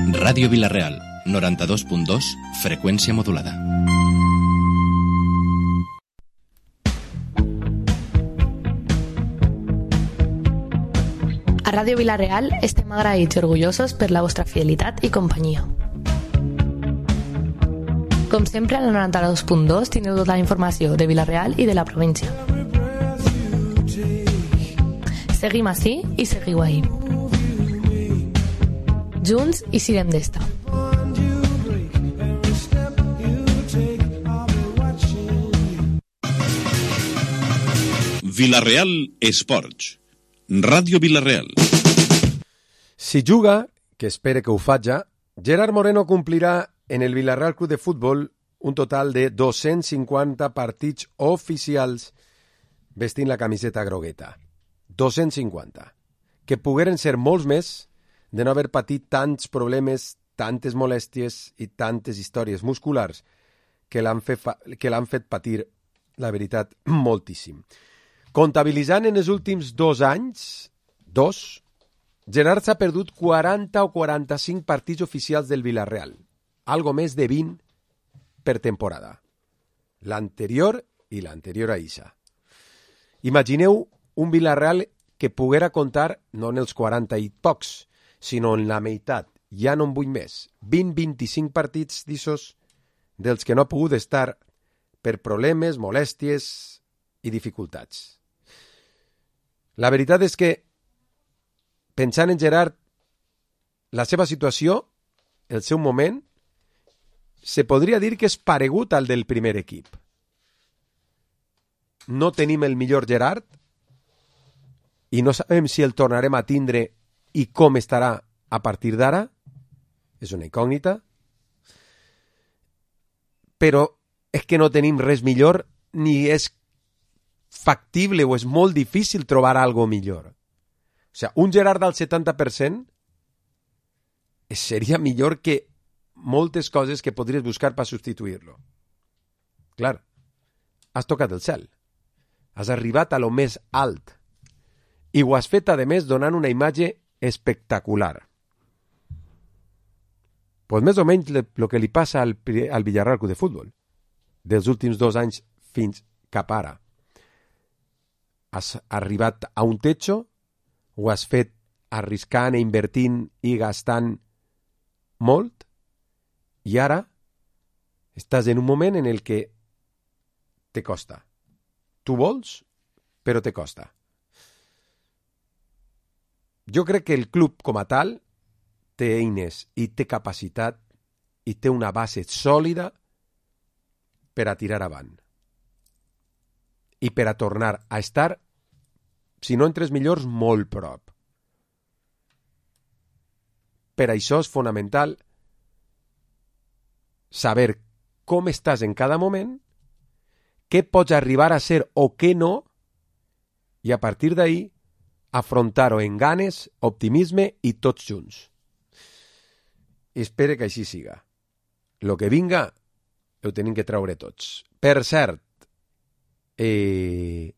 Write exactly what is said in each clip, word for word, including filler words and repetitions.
Ràdio Vila-real, noranta-dos punt dos, freqüència modulada. A Ràdio Vila-real estem agraïts i orgullosos per la vostra fidelitat i companyia. Com sempre, al noranta-dos punt dos teniu tota la informació de Vila-real i de la província. Seguim ací i seguiu ahí. Junts i sirem d'esta. Vila-real Esports. Ràdio Vila-real. Si juga, que espere que ho faci, Gerard Moreno complirà en el Vila-real Club de Futbol un total de dos-cents cinquanta partits oficials vestint la camiseta grogueta. dos-cents cinquanta. Que pogueren ser molts més de no haver patit tants problemes, tantes molèsties i tantes històries musculars que l'han fet, que l'han fet patir, la veritat, moltíssim. Comptabilitzant en els últims dos anys, dos, Gerard s'ha perdut quaranta o quaranta-cinc partits oficials del Vila-real, algo més de vint per temporada. L'anterior i l'anterior a Isa. Imagineu un Vila-real que poguera contar no en els quaranta i pocs, sinó en la meitat, ja no en vull més, vint a vint-i-cinc partits d'issos dels que no ha pogut estar per problemes, molèsties i dificultats. La veritat és que, pensant en Gerard, la seva situació, el seu moment, se podria dir que és paregut al del primer equip. No tenim el millor Gerard i no sabem si el tornarem a tindre i com estarà a partir d'ara. És una incògnita. Però és que no tenim res millor ni és factible o és molt difícil trobar algo millor. O sigui, un Gerard al setanta per cent seria millor que moltes coses que podries buscar per substituir-lo. Clar, has tocat el cel. Has arribat a lo més alt. I ho has fet, a més, donant una imatge espectacular. Pues més o menys el que li passa al, al Villarreal Club de Futbol dels últims dos anys fins cap ara. Has arribat a un techo, ho has fet arriscant i invertint i gastant molt, i ara estàs en un moment en el que te costa. Tu vols, però te costa. Jo crec que el club com a tal té eines i té capacitat i té una base sòlida per a tirar avant. I per a tornar a estar, si no entre els millors, molt prop. Per això és fonamental saber com estàs en cada moment, què pots arribar a ser o què no, i a partir d'ahí afrontar-ho en ganes, optimisme i tots junts. Espero que així siga. Lo que vinga ho tenim que treure tots. Per cert, eh,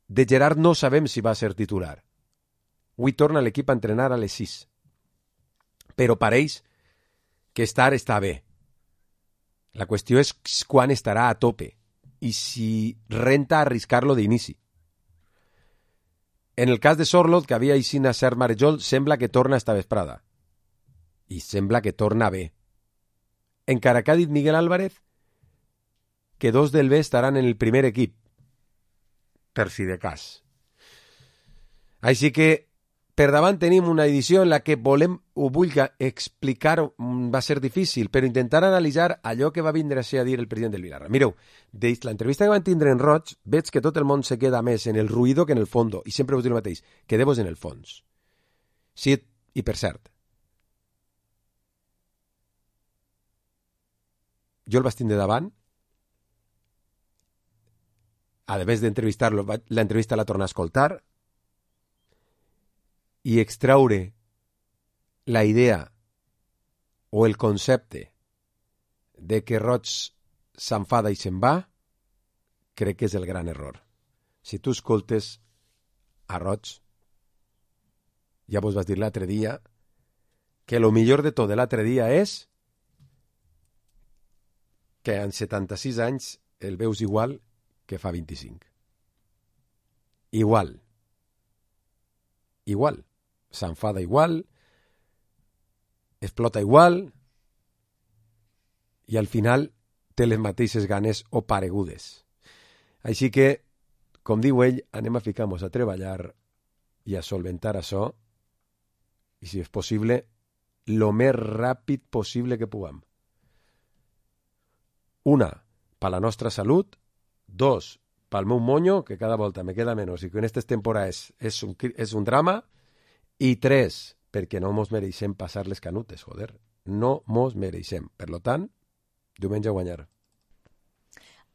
de Gerard no sabem si va ser titular. Avui torna l'equip a entrenar a les sis. Però pareix que estar està bé. La qüestió és quan estarà a tope i si renta arriscar-lo d'inici. En el cas de Sorloth, que havia eixit a Cert Marejol, sembla que torna esta vesprada. I sembla que torna bé. Encara que ha dit Miguel Álvarez que dos del B estaran en el primer equip, per si de cas. Així que per davant tenim una edició en la que volem o vull explicar, va ser difícil, però intentar analitzar allò que va vindre a ser a dir el president del Villarreal. Mireu, de l'entrevista que van tindre en Roig, veig que tot el món se queda més en el ruïdo que en el fondo, i sempre vos dic el mateix, quedeu-vos en el fons. Sí, i per cert, jo el vaig tindre davant, a més d'entrevistar-lo, l'entrevista la torna a escoltar, i extraure la idea o el concepte de que Roig s'enfada i se'n va, crec que és el gran error. Si tu escoltes a Roig, ja vos vas dir l'altre dia que lo millor de tot de l'altre dia és que en setanta-sis anys el veus igual que fa vint-i-cinc. Igual. Igual. S'enfada igual, explota igual i al final té les mateixes ganes o paregudes. Així que, com diu ell, anem a ficar-nos a treballar i a solventar això i, si és possible, lo més ràpid possible que puguem. Una, per la nostra salut. Dos, pel meu monyo, que cada volta me queda menys i que en aquestes temporades és un, és un drama. I tres, perquè no mos mereixem passar les canutes, joder. No mos mereixem. Per lo tant, diumenge a guanyar.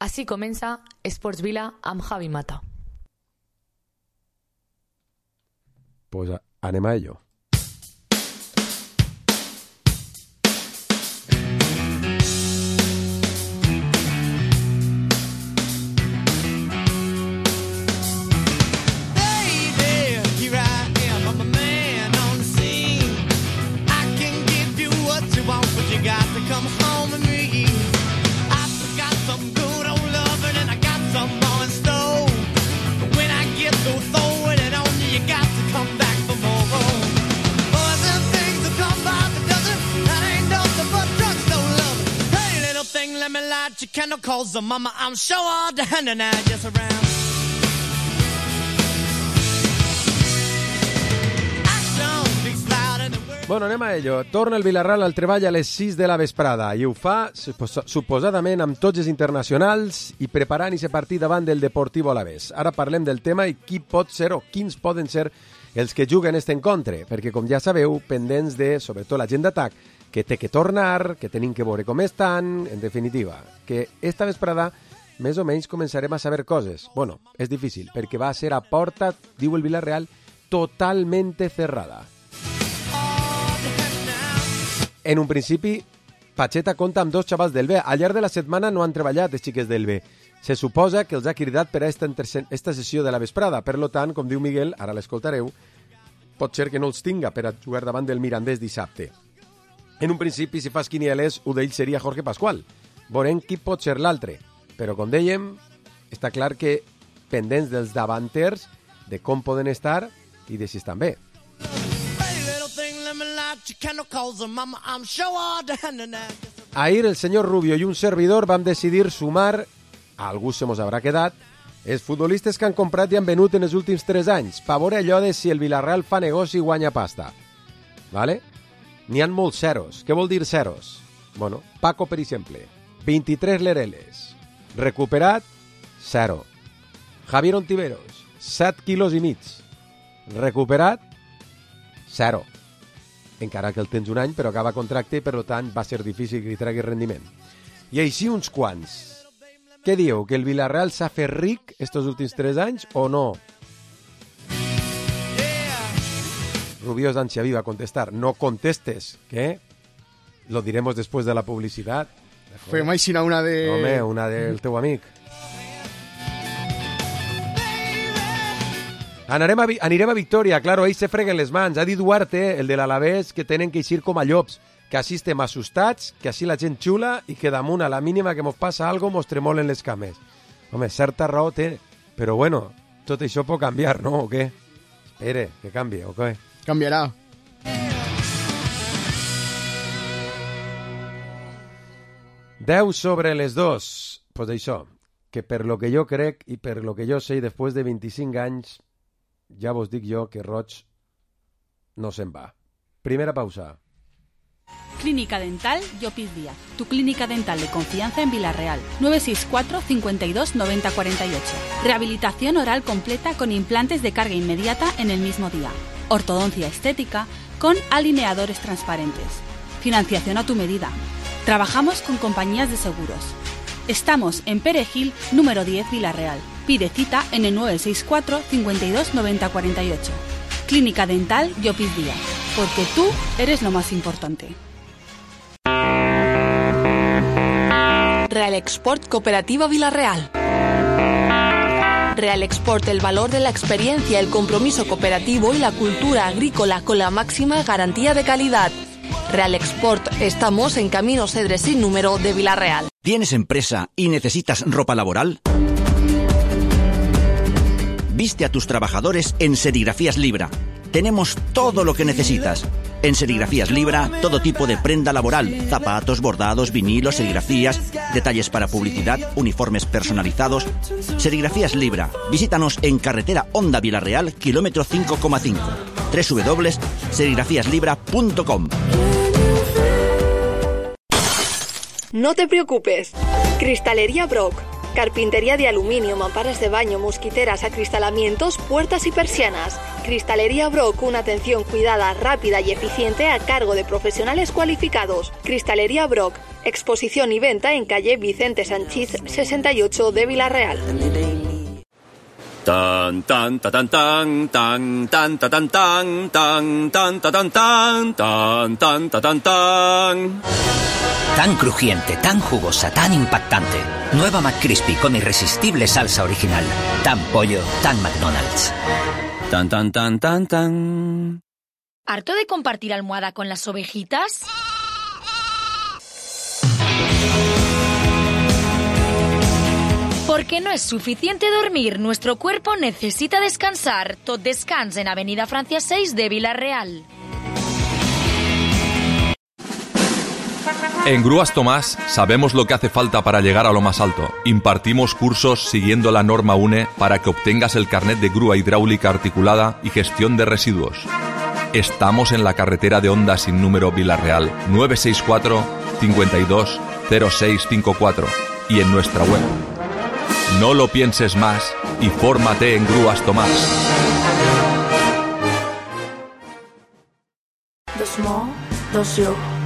Així comença Esports Vila amb Javi Mata. Pues a, anem a ello. Calls the mama, I'm sure all the hand and I just around. Bueno, anem a ello. Torna el Vilarreal al treball a les sis de la vesprada i ho fa suposadament amb tots els internacionals i preparant aquest partit davant del Deportivo Alavés. Ara parlem del tema i qui pot ser o quins poden ser els que juguen este encontre, perquè com ja sabeu, pendents de, sobretot la gent d'atac, que té que tornar, que tenim que veure com estan, en definitiva, que esta vesprada més o menys començarem a saber coses. Bueno, és difícil, perquè va ser a porta, diu el Villarreal, totalmente cerrada. En un principi, Pacheta compta amb dos xavals del B. Al llarg de la setmana no han treballat els xiques del B. Se suposa que els ha cridat per a esta, esta sessió de la vesprada. Per lo tant, com diu Miguel, ara l'escoltareu, pot ser que no els tinga per a jugar davant del Mirandés dissabte. En un principi, si fas quinieles, un d'ells seria Jorge Pascual. Veurem qui pot ser l'altre. Però, com dèiem, està clar que pendents dels davanters, de com poden estar i de si estan bé. Ahir el senyor Rubio i un servidor vam decidir sumar, a algú se mos haurà quedat, els futbolistes que han comprat i han venut en els últims tres anys, per veure allò de si el Villarreal fa negoci i guanya pasta. Vale? N'hi ha molts zeros. Què vol dir zeros? Bueno, Paco, per exemple, vint-i-tres lereles. Recuperat, zero. Javier Ontiveros, set quilos i mig. Recuperat, zero. Encara que el tens un any, però acaba contracte i, per tant, va ser difícil que li tregui rendiment. I així uns quants. Què dieu? Que el Villarreal s'ha fet ric estos últims tres anys o no? Rubiós d'Ansiaví va contestar, no contestes, que lo diremos después de la publicidad. Fue Maixina una de... Home, una del teu amic. Anarem a, anirem a Victòria, claro, ells se freguen les mans. Ha dit Duarte, el de l'Alavés, que tenen que eixir com a llops, que així estem assustats, que així la gent xula i que damunt a la mínima que mos passa algo mos tremolen les cames. Home, certa raó té, però bueno, tot això pot canviar, no? O què? Espere, que canvie, o què? Canviarà. deu sobre les dos. Pues això, que per lo que jo crec i per lo que jo sé, després de vint-i-cinc anys, ja vos dic jo que Roig no se'n va. Primera pausa. Clínica Dental Llopis Díaz, tu clínica dental de confianza en Villarreal. nueve seis cuatro, cincuenta y dos, noventa cuarenta y ocho. Rehabilitación oral completa con implantes de carga inmediata en el mismo día. Ortodoncia estética con alineadores transparentes. Financiación a tu medida. Trabajamos con compañías de seguros. Estamos en Perejil, número diez, Villarreal. Pide cita en el nueve seis cuatro, cincuenta y dos, noventa cuarenta y ocho. Clínica Dental Llopis Díaz, porque tú eres lo más importante. Real Export Cooperativa Villarreal. Real Export, el valor de la experiencia, el compromiso cooperativo y la cultura agrícola con la máxima garantía de calidad. Real Export, estamos en Camino Cedres sin número de Villarreal. ¿Tienes empresa y necesitas ropa laboral? Viste a tus trabajadores en Serigrafías Libra. Tenemos todo lo que necesitas. En Serigrafías Libra, todo tipo de prenda laboral, zapatos, bordados, vinilos, serigrafías, detalles para publicidad, uniformes personalizados. Serigrafías Libra. Visítanos en carretera Honda Villarreal, kilómetro cinco coma cinco. doble u doble u doble u punto serigrafías libra punto com. No te preocupes. Cristalería Brock. Carpintería de aluminio, mamparas de baño, mosquiteras, acristalamientos, puertas y persianas. Cristalería Brock, una atención cuidada, rápida y eficiente a cargo de profesionales cualificados. Cristalería Brock, exposición y venta en calle Vicente Sanchís sesenta y ocho de Villarreal. Tan tan ta tan tan tan tan ta tan tan tan tan ta tan tan tan tan ta tan tan. Tan crujiente, tan jugosa, tan impactante. Nueva McCrispy con irresistible salsa original. Tan pollo, tan McDonald's. Tan tan tan tan tan. ¿Harto de compartir almohada con las ovejitas? Porque no es suficiente dormir, nuestro cuerpo necesita descansar. Tot Descans en Avenida Francia seis de Villarreal. En Grúas Tomás sabemos lo que hace falta para llegar a lo más alto. Impartimos cursos siguiendo la norma U N E para que obtengas el carnet de grúa hidráulica articulada y gestión de residuos. Estamos en la carretera de Honda sin número Villarreal, nueve seis cuatro, cinco dos, cero seis cinco cuatro y en nuestra web. No lo pienses más y fórmate en Grúas Tomás.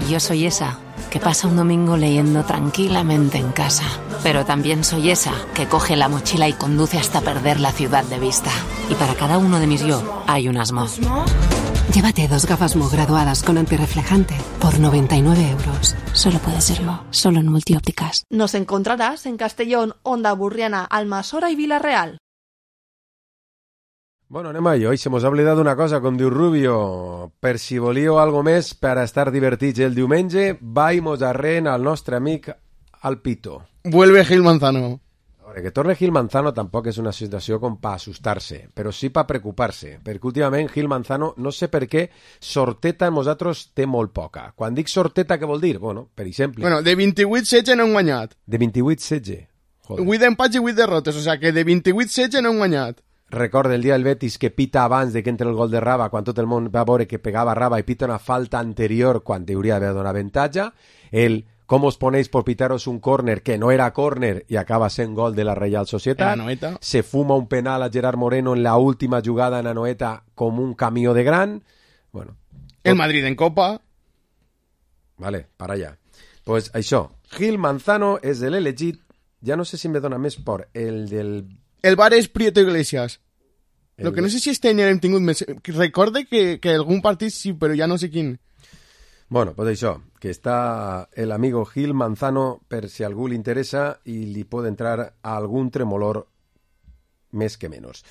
Yo soy esa que pasa un domingo leyendo tranquilamente en casa. Pero también soy esa que coge la mochila y conduce hasta perder la ciudad de vista. Y para cada uno de mis yo hay un Asmo. Llévate dos gafas Mo graduadas con antirreflejante por noventa y nueve euros. Solo puede serlo, solo en Multiópticas. Nos encontrarás en Castellón, Onda Burriana, Almasora y Villarreal. Bueno, anem a ello. I se mos ha oblidat una cosa, com diu Rubio. Per si volíeu algo més per a estar divertits el diumenge, vaimos arrent al nostre amic Alpito. Vuelve Gil Manzano. Ahora, que torne Gil Manzano tampoc és una situació com per assustar-se, però sí per preocupar-se, perquè últimament Gil Manzano, no sé per què, sorteta en nosaltres té molt poca. Quan dic sorteta, què vol dir? Bueno, per exemple... Bueno, de vint-i-vuit setze no han guanyat. De vint-i-vuit setze? vuit empats i vuit derrotes, o sea que de vint-i-vuit setze no han guanyat. Recorda el dia del Betis que pita abans de que entre el gol de Raba, quan tot el món va veure que pegava Raba i pita una falta anterior quan hauria d'haver donat avantatge. El com os ponéis por pitaros un córner que no era córner i acaba sent gol de la Real Societat. Se fuma un penal a Gerard Moreno en la última jugada en Anoeta com un camió de gran. Bueno, el Madrid en Copa. Vale, para allá. Pues això, Gil Manzano és l'elegit, ja no sé si me dona més por, el del... El bar és Prieto Iglesias. El... Lo que no sé si este any hem tingut més... Recorde que, que algun partit sí, però ja no sé quin. Bueno, pues això, que està el amigo Gil Manzano per si algú li interessa i li pot entrar a algun tremolor més que menys.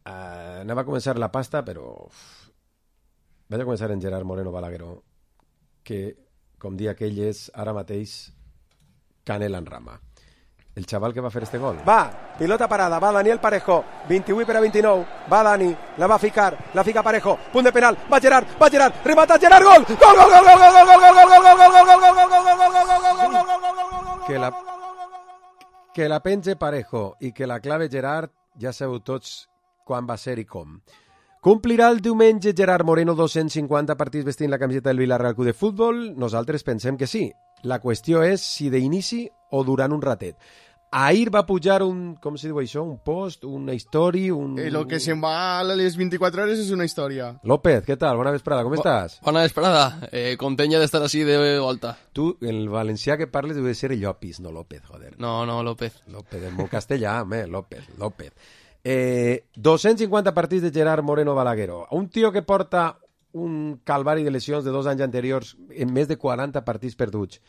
Uh, anava a començar la pasta, però... Uf, vaig a començar en Gerard Moreno Balagueró, que, com dia aquell, és ara mateix canela en rama. El xaval que va fer este gol. Va, pilota parada, va Daniel Parejo, vint-i-vuit per a vint-i-nou, va Dani, la va ficar, la fica Parejo, punt de penal, va Gerard, va Gerard, remata Gerard, gol! Gol, gol, gol, gol, gol, gol, gol, gol, gol, gol, gol, gol, gol, gol, que la que la penge Parejo i que la clave Gerard, ja sabeu tots quan va ser i com. Complirà el diumenge Gerard Moreno dos-cents cinquanta partits vestint la camiseta del Villarreal Club de Futbol? Nosaltres pensem que sí. La qüestió és si d'inici o durant un ratet. Ahir va pujar un, com se diu això, un post, una història, un... Eh, lo que se'n va a les vint-i-quatre hores és una història. López, ¿qué tal? Buena vesprada, ¿cómo estàs? Bona vesprada, eh, contenya d'estar així de volta. Tu, el valencià que parles deu de ser Llopis, no López, joder. No, no, López. López, en molt castellà, home, López, López. Eh, dos-cents cinquanta partits de Gerard Moreno Balagueró. Un tio que porta un calvari de lesions de dos anys anteriors en més de quaranta partits perduts,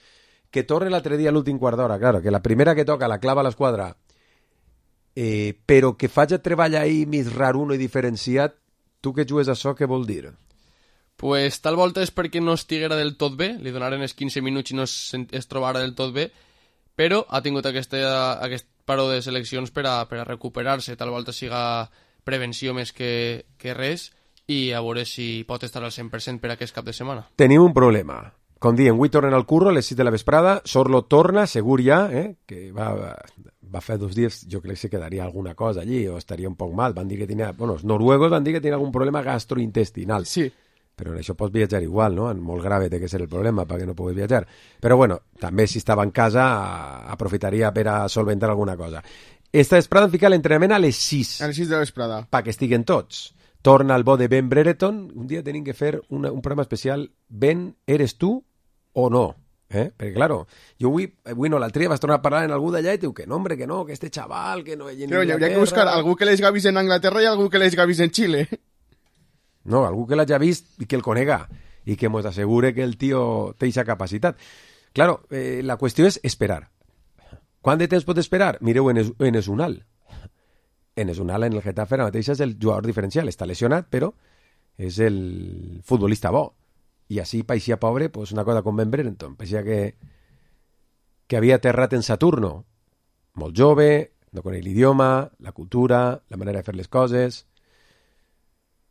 que torne l'altre dia a l'últim quart d'hora, claro, que la primera que toca la clava a l'esquadra, eh, però que faig treball ahir més raruno i diferenciat, tu que jugues això, què vol dir? Pues tal volta és perquè no estiguera del tot bé, li donaren els quinze minuts i no es, es trobara del tot bé, però ha tingut aquesta, aquest paró de seleccions per a, per a recuperar-se, tal volta siga prevenció més que, que res, i a veure si pot estar al cent per cent per aquest cap de setmana. Tenim un problema. Com diem, avui tornen al curro a les sis de la vesprada, Sorlo torna, segur ja, eh? que va, va fer dos dies, jo crec que se quedaria alguna cosa allí, o estaria un poc mal, van dir que tenia, bueno, els noruegos van dir que tenia algun problema gastrointestinal. Sí. Però en això pots viatjar igual, no? En molt grave té que ser el problema perquè no puguis viatjar. Però bueno, també si estava en casa aprofitaria per a solventar alguna cosa. Esta vesprada em fica l'entrenament a les sis. A les sis de la vesprada. Perquè estiguen tots. Torna el bo de Ben Brereton. Un dia tenim que fer una, un programa especial. Ben, eres tu o no? Eh? Perquè, claro, jo avui, avui no, l'altre dia vas tornar a parlar en algú d'allà i diu que no, hombre, que no, que este chaval, que no... Però hi hauria que buscar algú que les gavis en Anglaterra i algú que les gavis en Xile. No, algú que l'hagi vist i que el conega i que ens assegure que el tio té aquesta capacitat. Claro, eh, la qüestió és esperar. Quant de temps pot esperar? Mireu, en, es, en Esunal. En Esunal, en el Getafe, ara mateix és el jugador diferencial. Està lesionat, però és el futbolista bo. I així paixia pobre, pues una cosa com Ben Brereton. Paixia que, que havia aterrat en Saturno. Molt jove, no coneix l'idioma, la cultura, la manera de fer les coses...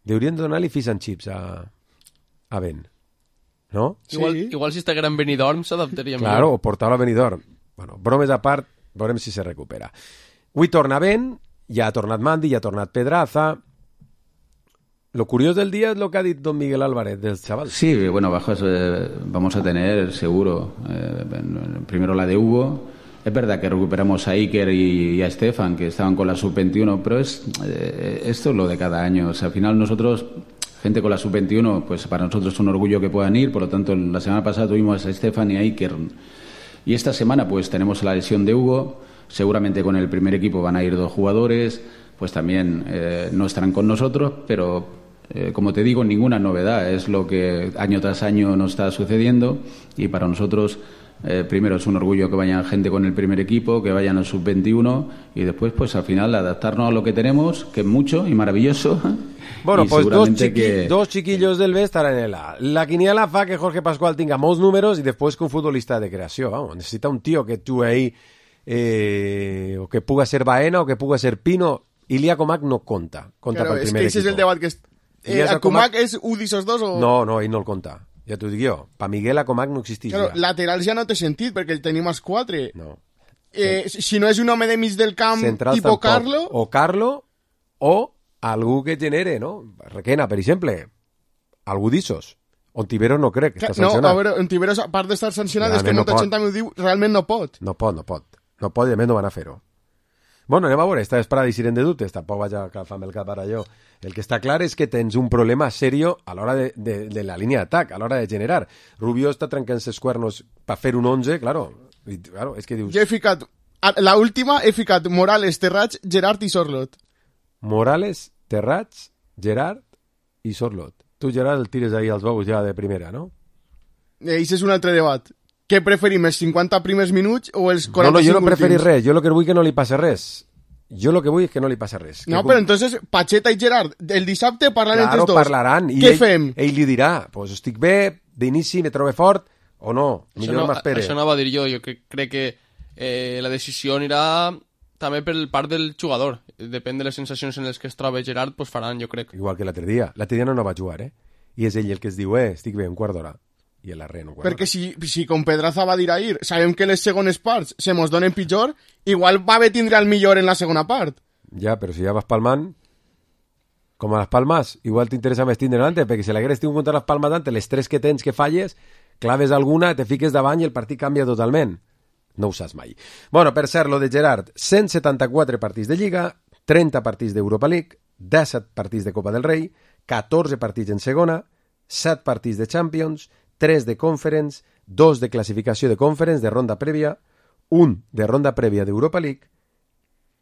Deurien donar-li fish and chips a, a Ben, no? Sí. Igual, igual si estiguera en Benidorm s'adaptaria millor. Claro, o portar-lo a Benidorm. Bueno, bromes a part, veurem si se recupera. Avui torna Ben, ja ha tornat Mandi, ja ha tornat Pedraza. Lo curioso del día es lo que ha dicho don Miguel Álvarez del chaval. Sí, bueno, bajos eh, vamos a tener seguro. Eh, primero la de Hugo. Es verdad que recuperamos a Iker y, y a Estefan, que estaban con la sub veintiuno, pero es eh, esto es lo de cada año. O sea, al final nosotros, gente con la sub veintiuno, pues para nosotros es un orgullo que puedan ir. Por lo tanto, la semana pasada tuvimos a Estefan y a Iker. Y esta semana pues tenemos la lesión de Hugo. Seguramente con el primer equipo van a ir dos jugadores. Pues también eh, no estarán con nosotros, pero... Eh, como te digo, ninguna novedad, es lo que año tras año nos está sucediendo y para nosotros eh, primero es un orgullo que vayan gente con el primer equipo, que vayan al sub veintiuno y después pues al final adaptarnos a lo que tenemos, que es mucho y maravilloso. Bueno, y pues dos, chiqui que... dos chiquillos del B estarán en la... La quiniela fa que Jorge Pascual tenga molts números y después que un futbolista de creació, vamos, necesita un tío que tú ahí eh, o que puga ser Baena o que puga ser Pino. Ilia Comac no conta, conta claro, pel primer es que ese equipo. Es el debat que... Es... Eh, ¿A Comac és un d'esos dos o...? No, no, ell no el compta. Ja t'ho dic jo. Pa Miguel a Comac no existeix claro, ja. Laterals ja no té sentit, perquè el tenim als quatre. No. Eh, sí. Si no és un home de mig del camp, Central tipo tampoc. Carlo... O Carlo, o algú que genere, no? Requena, per exemple. Algú d'issos. Ontiveros no crec que està no, sancionat. No, a veure, Ontiveros, a part d'estar sancionat, és que molta no gent també ho diu, realment no pot. No pot, no pot. No pot i a més no van a fer-ho. Bueno, anem a veure, esta vesprada deixirem de dubtes, tampoc vaig a calfar-me el cap ara jo. El que està clar és que tens un problema serio a l'hora de, de, de la línia d'atac, a l'hora de generar. Rubio està trencant ses cuernos per fer un onze, claro. I, claro, és que dius... Jo he ficat, la última he ficat Morales, Terrats, Gerard i Sorlot. Morales, Terrats, Gerard i Sorlot. Tu, Gerard, el tires ahí als bous ja de primera, no? Eix és un altre debat. Què preferim, els cinquanta primers minuts o els quaranta-cinc últims? No, no, jo no preferir res. Jo el que vull que no li passi res. Jo el que vull és que no li passi res. No, que però entonces Pacheta i Gerard, el dissabte parlaran claro, entre dos. parlaran. I Què ell, fem? Ell li dirà, pues estic bé, d'inici me trobo fort, o no, millor no, m'espere. Això no va dir jo, jo crec, crec que eh, la decisió anirà també per part del jugador. Depèn de les sensacions en les que es troba Gerard, pues faran, jo crec. Igual que l'altre dia. L'altre dia no, no va jugar, eh? I és ell el que es diu, eh, estic bé, un quart d'hora. I el arre, un quart d'hora. Perquè si, si con Pedraza va dir ahir, sabem que les segones parts se mos donen pitjor, igual va haver tindre el millor en la segona part. Ja, però si ja vas palmant, com a les palmes, igual t'interessa més tindre l'ante, perquè si l'hagueres tingut contra les palmes d'ante, les tres que tens que falles, claves alguna, te fiques davant i el partit canvia totalment. No ho saps mai. Bueno, per cert, lo de Gerard, cent setanta-quatre partits de Lliga, trenta partits d'Europa League, disset partits de Copa del Rei, catorze partits en segona, set partits de Champions, tres de Conference, dos de classificació de Conference de ronda prèvia, un de ronda prèvia d'Europa League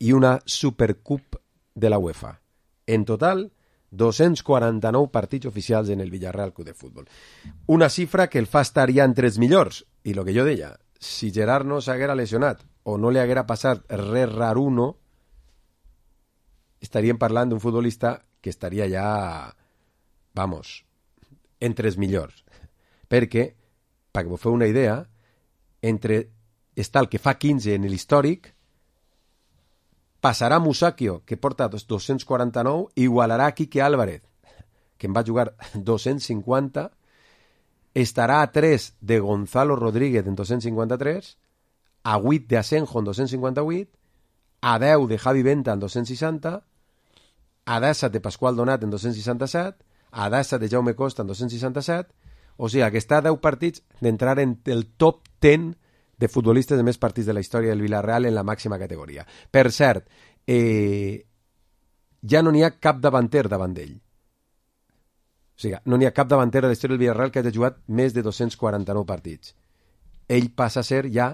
i una Supercup de la UEFA. En total, dos-cents quaranta-nou partits oficials en el Villarreal Club de Futbol. Una xifra que el fa estar ja entre els millors. I el que jo deia, si Gerard no s'haguera lesionat o no li haguera passat res raruno, estaríem parlant d'un futbolista que estaria ja, vamos, entre els millors. Perquè, perquè vos feu una idea, entre està el que fa quinze en l'històric, passarà Musacchio, que porta dos-cents quaranta-nou, i igualarà Quique Álvarez, que en va jugar dos-cents cinquanta, estarà a tres de Gonzalo Rodríguez en dos-cents cinquanta-tres, a vuit de Asenjo en dos-cents cinquanta-vuit, a deu de Javi Venta en dos-cents seixanta, a disset de Pasqual Donat en dos-cents seixanta-set, a disset de Jaume Costa en dos-cents seixanta-set, o sigui que està a deu partits d'entrar en el top deu de futbolistes de més partits de la història del Villarreal en la màxima categoria. Per cert, eh, ja no n'hi ha cap davanter davant d'ell. O sigui, no n'hi ha cap davanter de la història del Villarreal que hagi jugat més de dos-cents quaranta-nou partits. Ell passa a ser ja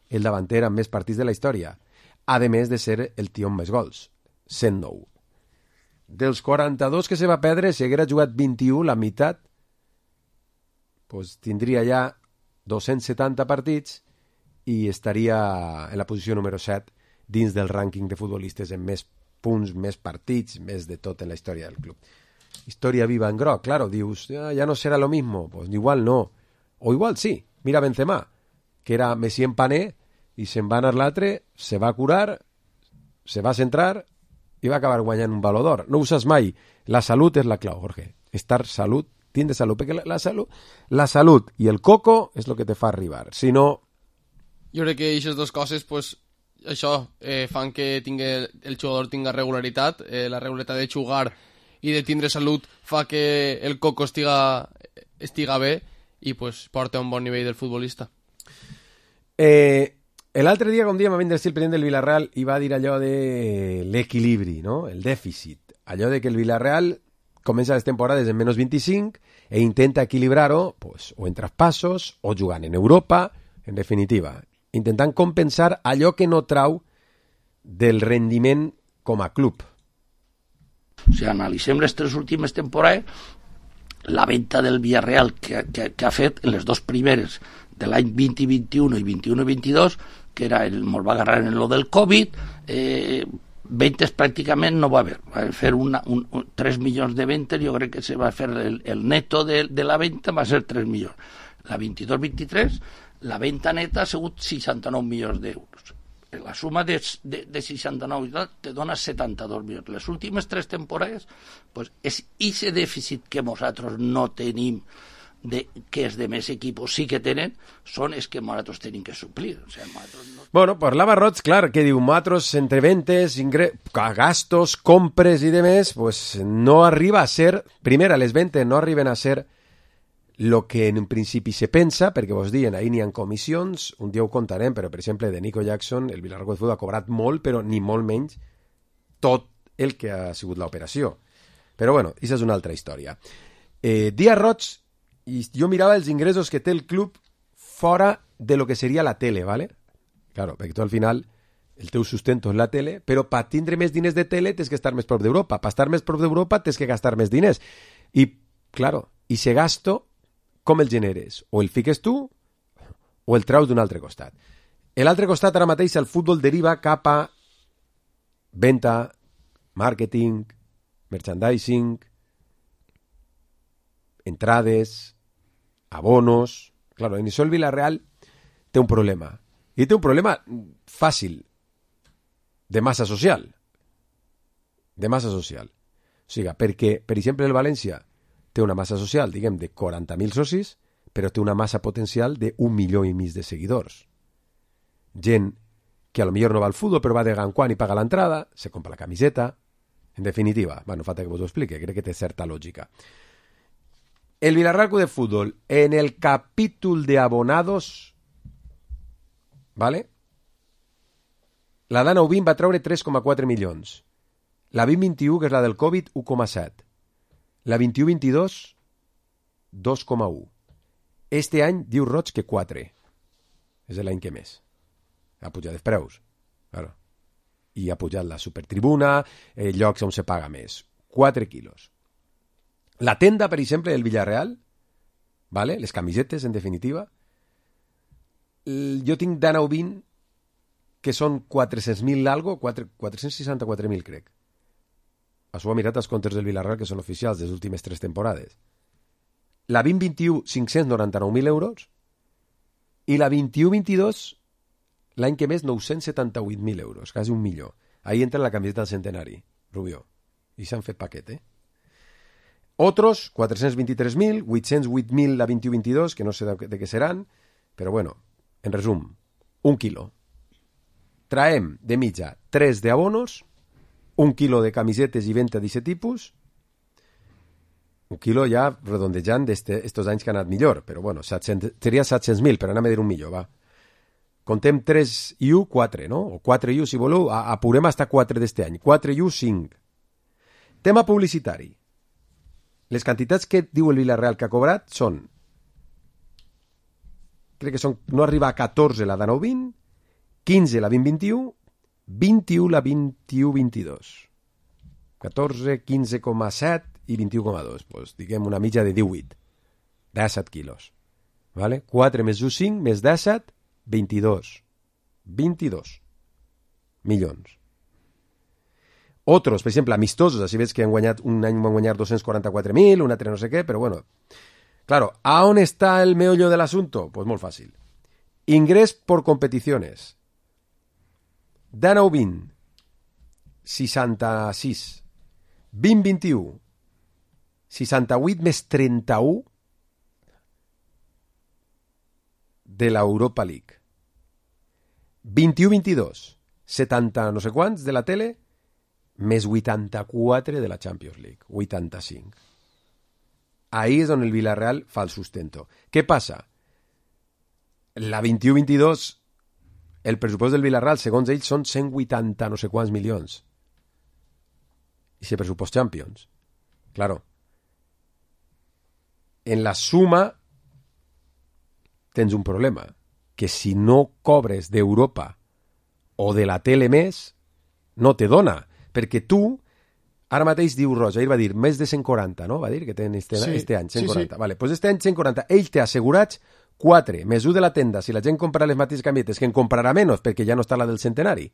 el davanter amb més partits de la història, a més de ser el tio amb més gols, cent nou. Dels quaranta-dos que se va perdre, si haguera jugat vint-i-u, la meitat, pues, tindria ja dos-cents setanta partits i estaria en la posició número set dins del rànquing de futbolistes amb més punts, més partits, més de tot en la història del club. Història viva en groc, claro, dius, ah, ja no serà lo mismo, pues igual no, o igual sí, mira Benzema, que era Messi en pané, i se'n va anar l'altre, se va curar, se va centrar i va acabar guanyant un Baló d'Or. No ho saps mai, la salut és la clau, Jorge, estar salut, tindre salut, perquè la, la, salut, la salut i el coco és el que te fa arribar, si no... Jo crec que aquestes dues coses, pues, això, eh, fan que tingui, el jugador tinga regularitat, eh, la regularitat de jugar i de tindre salut fa que el coco estiga, estiga bé i pues, porta un bon nivell del futbolista. Eh, l'altre dia, com diem, va vindre el president del Villarreal i va dir allò de l'equilibri, no? El dèficit. Allò de que el Villarreal comença les temporades en menys vint-i-cinc e intenta equilibrar-ho pues, o en traspassos o jugant en Europa, en definitiva, intentant compensar allò que no trau del rendiment com a club. O sigui, analitzem les tres últimes temporades, la venda del Villarreal que, que, que ha fet en les dos primeres de l'any vint i vint-i-un i vint-i-un i vint-i-dos, que era el, molt va agarrar en lo del Covid, eh, ventes pràcticament no va haver. Va fer una, un, un, tres milions de ventes, jo crec que se va fer el, el neto de, de la venda va ser tres milions. La vint-i-dos vint-i-tres, la venda neta ha sigut seixanta-nou milions d'euros. La suma de, de, de seixanta-nou i tal te dona setanta-dos milions. Les últimes tres temporades, pues, és aquest dèficit que nosaltres no tenim, de, que és de més equipos sí que tenen, són els que nosaltres tenim que suplir. O sigui, no... Bueno, parlava Roig, clar, que diu, nosaltres entre ventes, ingre... gastos, compres i demés, pues no arriba a ser, primera, les ventes no arriben a ser lo que en un principi se pensa, perquè vos diuen, ahir n'hi ha comissions, un dia ho contarem, però per exemple de Nico Jackson, el Villarreal de Futbol ha cobrat molt, però ni molt menys tot el que ha sigut l'operació. Però bueno, aquesta és una altra història. Eh, Díaz Roig, i jo mirava els ingressos que té el club fora de lo que seria la tele, ¿vale? Claro, perquè tu al final el teu sustento és la tele, però per tindre més diners de tele tens que estar més prop d'Europa. Per estar més prop d'Europa tens que gastar més diners. I, claro, i se gasto com el generes? O el fiques tu o el traus d'un altre costat. L'altre costat ara mateix el futbol deriva cap a venda, marketing, merchandising, entrades, abonos... Claro, en això el Villarreal té un problema. I té un problema fàcil, de massa social. De massa social. O sigui, perquè, per exemple, el València té una massa social, diguem, de quaranta mil socis, però té una massa potencial d'un milió i mig de seguidors. Gent que a lo millor no va al futbol, però va de gran quan i paga l'entrada, se compra la camiseta... En definitiva, bueno, falta que vos ho explique, crec que té certa lògica. El Villarreal de Fútbol, en el capítol de abonados, ¿vale? La d'Anna U vint va treure tres coma quatre milions. La vint vint-i-u, que és la del Covid, u coma set. La vint-i-u vint-i-dos, dos coma u. Este any diu Roig que quatre. És l'any que més. Ha pujat els preus. Claro. I ha pujat la supertribuna, eh, llocs on se paga més. quatre quilos. La tenda, per exemple, del Villarreal, ¿vale? Les camisetes, en definitiva, jo tinc d'Anna U vint que són quatre-cents mil algo, quatre-cents seixanta-quatre mil, crec. Això ho ha mirat els comptes del Villarreal, que són oficials des últimes tres temporades. la vint vint-i-u, cinc-cents noranta-nou mil euros, i la vint-i-u vint-i-dos, l'any que més, nou-cents setanta-vuit mil euros, quasi un milió. Ahí entra la camiseta del centenari, Rubió. I s'han fet paquet, eh? Otros, quatre-cents vint-i-tres mil, vuit-cents vuit mil la vint-i-u vint-i-dos, que no sé de, de què seran, però bueno, en resum, un quilo. Traem de mitja tres de abonos, un quilo de camisetes i venta d'aquest tipus, un quilo ja redondejant d'estos anys que ha anat millor, però bueno, set-cents, seria set-cents mil, però anem a dir un millor, va. Contem tres i u, quatre, no? O quatre i u, si voleu, apurem hasta quatre d'este any. quatre i u, cinc. Tema publicitari. Les quantitats que diu el Villarreal que ha cobrat són, crec que són, no arriba a catorze la de nou vint, quinze la vint vint-i-u, vint-i-u la vint-i-u vint-i-dos. catorze, quinze coma set i vint-i-u coma dos. Pues, diguem una mitja de divuit. disset quilos. Vale? quatre més u, cinc, més disset, vint-i-dos. vint-i-dos milions. Otros, per exemple, amistosos, així veig que han guanyat, un any van guanyar dos-cents quaranta-quatre mil, un altre no sé què, però bueno. Claro, ¿a on està el meollo del asunto? Pues molt fàcil. Ingrés por competiciones. De nou vint, seixanta-sis. vint vint-i-u, seixanta-vuit més trenta-u de l'Europa League. vint-i-u vint-i-dos, setanta no sé quants de la tele, més vuitanta-quatre de la Champions League, vuitanta-cinc. Ahí és on el Villarreal fa el sustento. Què passa? La vint-i-u vint-i-dos, el pressupost del Villarreal, segons ells, són cent vuitanta no sé quants milions. I ese pressupost Champions. Claro. En la suma tens un problema, que si no cobres d'Europa o de la tele més, no te dona, perquè tu, ara mateix diu Roja, ell va dir més de cent quaranta, no? Va dir que tenen este, sí, este any, cent quaranta. Sí, sí. Vale, pues este any cent quaranta. Ell té assegurats quatre, més un de la tenda, si la gent compra les mateixes camietes, que en comprarà menys, perquè ja no està la del centenari.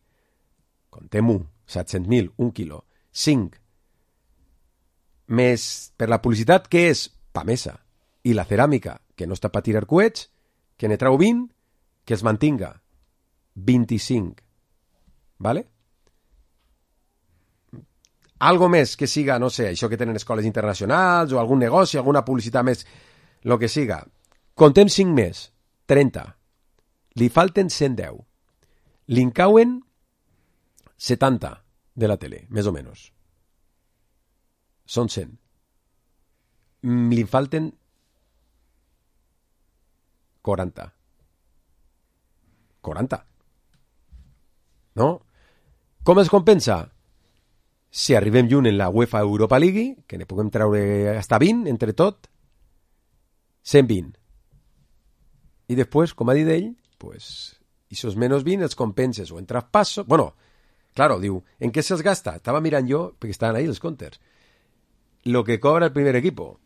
Contem un, set-cents mil, un quilo. cinc. Més per la publicitat, que és Pamesa, i la ceràmica, que no està per tirar coets, que ne trau vint, que es mantinga. vint-i-cinc. Vale? Algo més que siga, no sé, això que tenen escoles internacionals, o algun negoci, alguna publicitat més, lo que siga. Contem cinc més, trenta. Li falten cent deu. Li encauen setanta de la tele, més o menys. Són cent. Li falten quaranta. quaranta. No? Com es compensa? Si arribem lluny en la UEFA Europa League, que ne puguem treure hasta vint, entre tot, cent vint. I després, com ha dit ell, pues, esos menos vint els compenses o en traspasso. Bueno, claro, diu, ¿en què se'ls gasta? Estava mirant jo, perquè estaven ahí els comptes. Lo que cobra el primer equipo.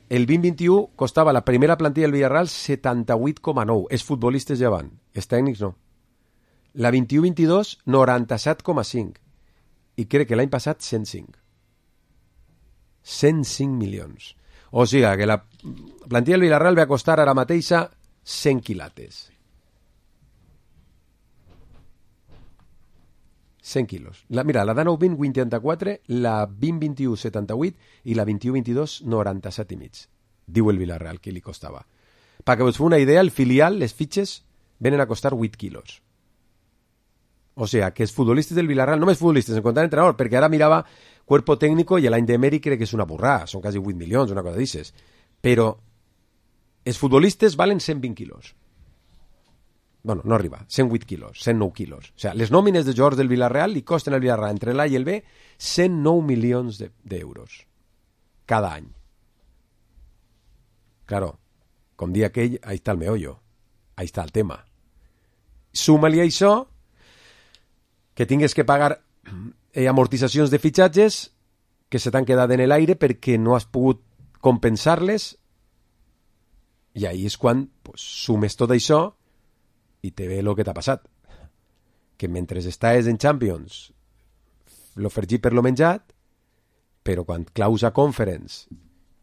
El vint vint-i-u costava la primera plantilla del Villarreal setanta-vuit coma nou. Els futbolistes ja van, els tècnics no. La vint-i-u vint-i-dos, noranta-set coma cinc. I crec que l'any passat cent cinc. cent cinc milions. O sigui que la plantilla del Villarreal va costar ara mateixa cent quilates. cent quilos. La, mira, la de nou vint, vuitanta-quatre, la vint vint-i-u, setanta-vuit i la vint-i-u vint-i-dos, noranta-set i mig. Diu el Villarreal que li costava. Perquè us feu una idea, el filial, les fitxes, venen a costar vuit quilos. O sigui, que els futbolistes del Villarreal, només futbolistes, en comptant entrenador, perquè ara mirava cuerpo técnico i l'any d'Emery crec que és una burrada, són quasi vuit milions, una cosa d'aixes. Però els futbolistes valen cent vint quilos. Bueno, no arriba, cent vuit quilos, cent nou quilos. O sigui, les nòmines de jugadors del Villarreal li costen al Villarreal entre l'A i el B cent nou milions d'euros cada any. Claro, com dia aquell, ahí està el meollo, ahí està el tema. Suma-li això que tingues que pagar eh, amortitzacions de fitxatges que se t'han quedat en l'aire perquè no has pogut compensar-les, i ahí és quan pues, sumes tot això i te ve el que t'ha passat. Que mentre estàs en Champions lo fergit per lo menjat, però quan claus a Conference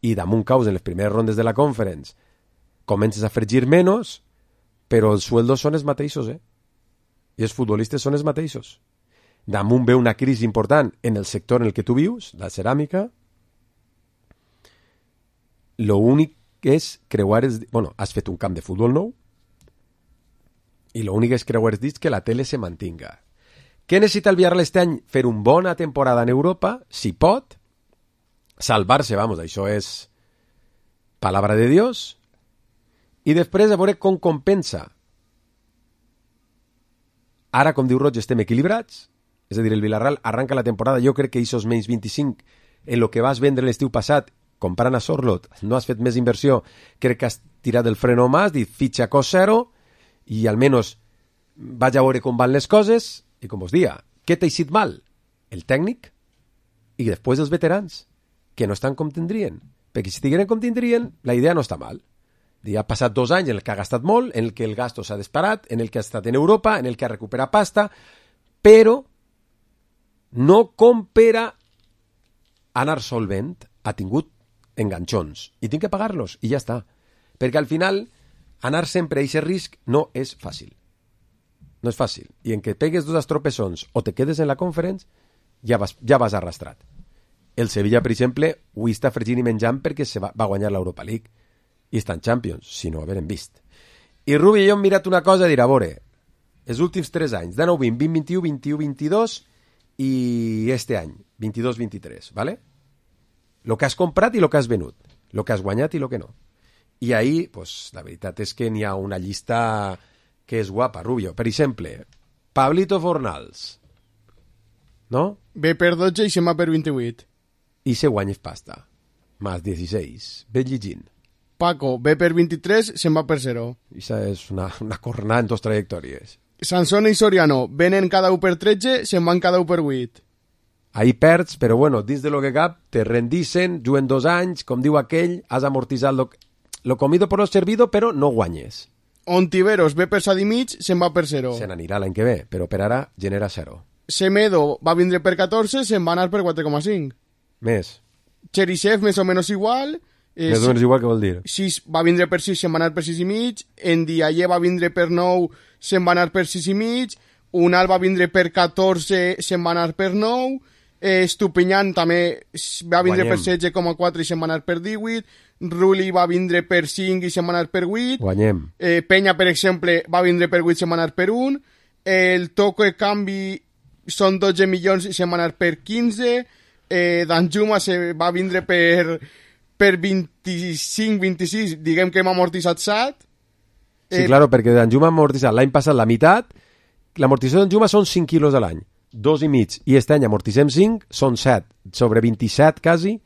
i damunt caus en les primeres rondes de la Conference comences a fregir menys, però els sueldos són els mateixos, eh? I els futbolistes són els mateixos. Damunt ve una crisi important en el sector en el que tu vius, la ceràmica. Lo únic és creuar els... Bueno, has fet un camp de futbol nou i lo únic és creuar els dits que la tele se mantinga. Què necessita el Villarreal este any? Fer una bona temporada en Europa, si pot, salvar-se, vamos, això és palabra de Dios, i després a veure com compensa. Ara, com diu Roig, estem equilibrats, és a dir, el Villarreal arranca la temporada, jo crec que aquests menys vint-i-cinc en el que vas vendre l'estiu passat, comprant a Sorlot, no has fet més inversió, crec que has tirat el freno mà, has dit fitxa cost zero, i almenys vaig a veure com van les coses, i com us dia, què t'ha eixit mal? El tècnic i després els veterans, que no estan com tindrien. Perquè si estigueren com tindrien, la idea no està mal. Ha passat dos anys en el que ha gastat molt, en el que el gasto s'ha disparat, en el que ha estat en Europa, en el que ha recuperat pasta, però no com per a anar solvent, ha tingut enganxons, i tinc que pagar-los, i ja està. Perquè al final, anar sempre a aquest risc no és fàcil. No és fàcil. I en què pegues dos estropessons o te quedes en la Conference, ja vas, ja vas arrastrat. El Sevilla, per exemple, ho està fregint i menjant perquè se va, va guanyar l'Europa League. I està en Champions, si no ho haverem vist. I Rubi i jo hem mirat una cosa i dir, a veure, els últims tres anys, dinou vint, vint vint-i-u, vint-i-u vint-i-dos i este any, vint-i-dos vint-i-tres, ¿vale? Lo que has comprat i lo que has venut, lo que has guanyat i lo que no. I ahí, pues, la veritat és que n'hi ha una llista que és guapa, Rubio. Per exemple, Pablito Fornals, no? Ve per dotze i se'n va per vint-i-vuit. I se guanya pasta. Más dieciséis. Ve llegint. Paco, ve per vint-i-tres, se'n va per zero. Això és una, una cornada en dos trajectòries. Sansone i Soriano venen cada un per tretze, se'n van cada un per vuit. Ahí perds, però bueno, dins de lo que cap, te rendicen, juguen dos anys, com diu aquell, has amortitzat lo, lo comido por lo servido, però no guanyes. Ontiveros ve per set i mig, se'n va per zero. Se n'anirà l'any que ve, però per ara genera zero. Semedo va vindre per catorze, se'n va anar per quatre coma cinc. Més. Cherisev més o menys igual. Eh, més o menys igual, què vol dir? sis va vindre per sis, se'n va anar per sis i mig. Ndiaye va vindre per nou, se'n va anar per sis i mig. Unal va vindre per catorze, se'n va anar per nou. Eh, Estupinyan també va vindre Guanyem. per setze coma quatre i se'n va anar per divuit. Rulli va vindre per cinc i se'n va anar per vuit. Guanyem. Eh, Penya, per exemple, va vindre per vuit i se'n va anar per un. El toco de canvi són dotze milions i se'n va anar per quinze. Eh, Danjuma se va vindre per, per vint-i-cinc vint-i-sis, diguem que hem amortitzat set. Sí, eh, claro, perquè Danjuma ha amortitzat l'any passat la meitat. L'amortització de Danjuma són cinc quilos a l'any, dos i mig, i aquest any amortitzem cinc, són set, sobre vint-i-set quasi,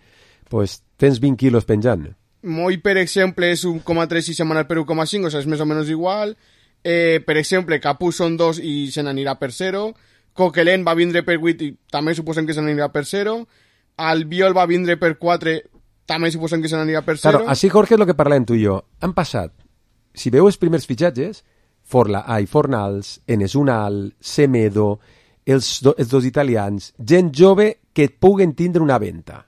pues tens vint quilos penjant. Moi, per exemple, és un coma tres i se'n va anar per un coma cinc, o sigui, és més o menys igual. Eh, per exemple, Capú són dos i se n'anirà per zero. Coquelin va vindre per vuit i també suposem que se n'anirà per zero. Albiol va vindre per quatre, també suposem que se n'anirà per zero. Claro, així, Jorge, és el que parlem tu i jo. Han passat, si veu els primers fitxatges, Forla, ai, Fornals, Enes Unal, Semedo, els, do, els dos italians, gent jove que et puguen tindre una venta.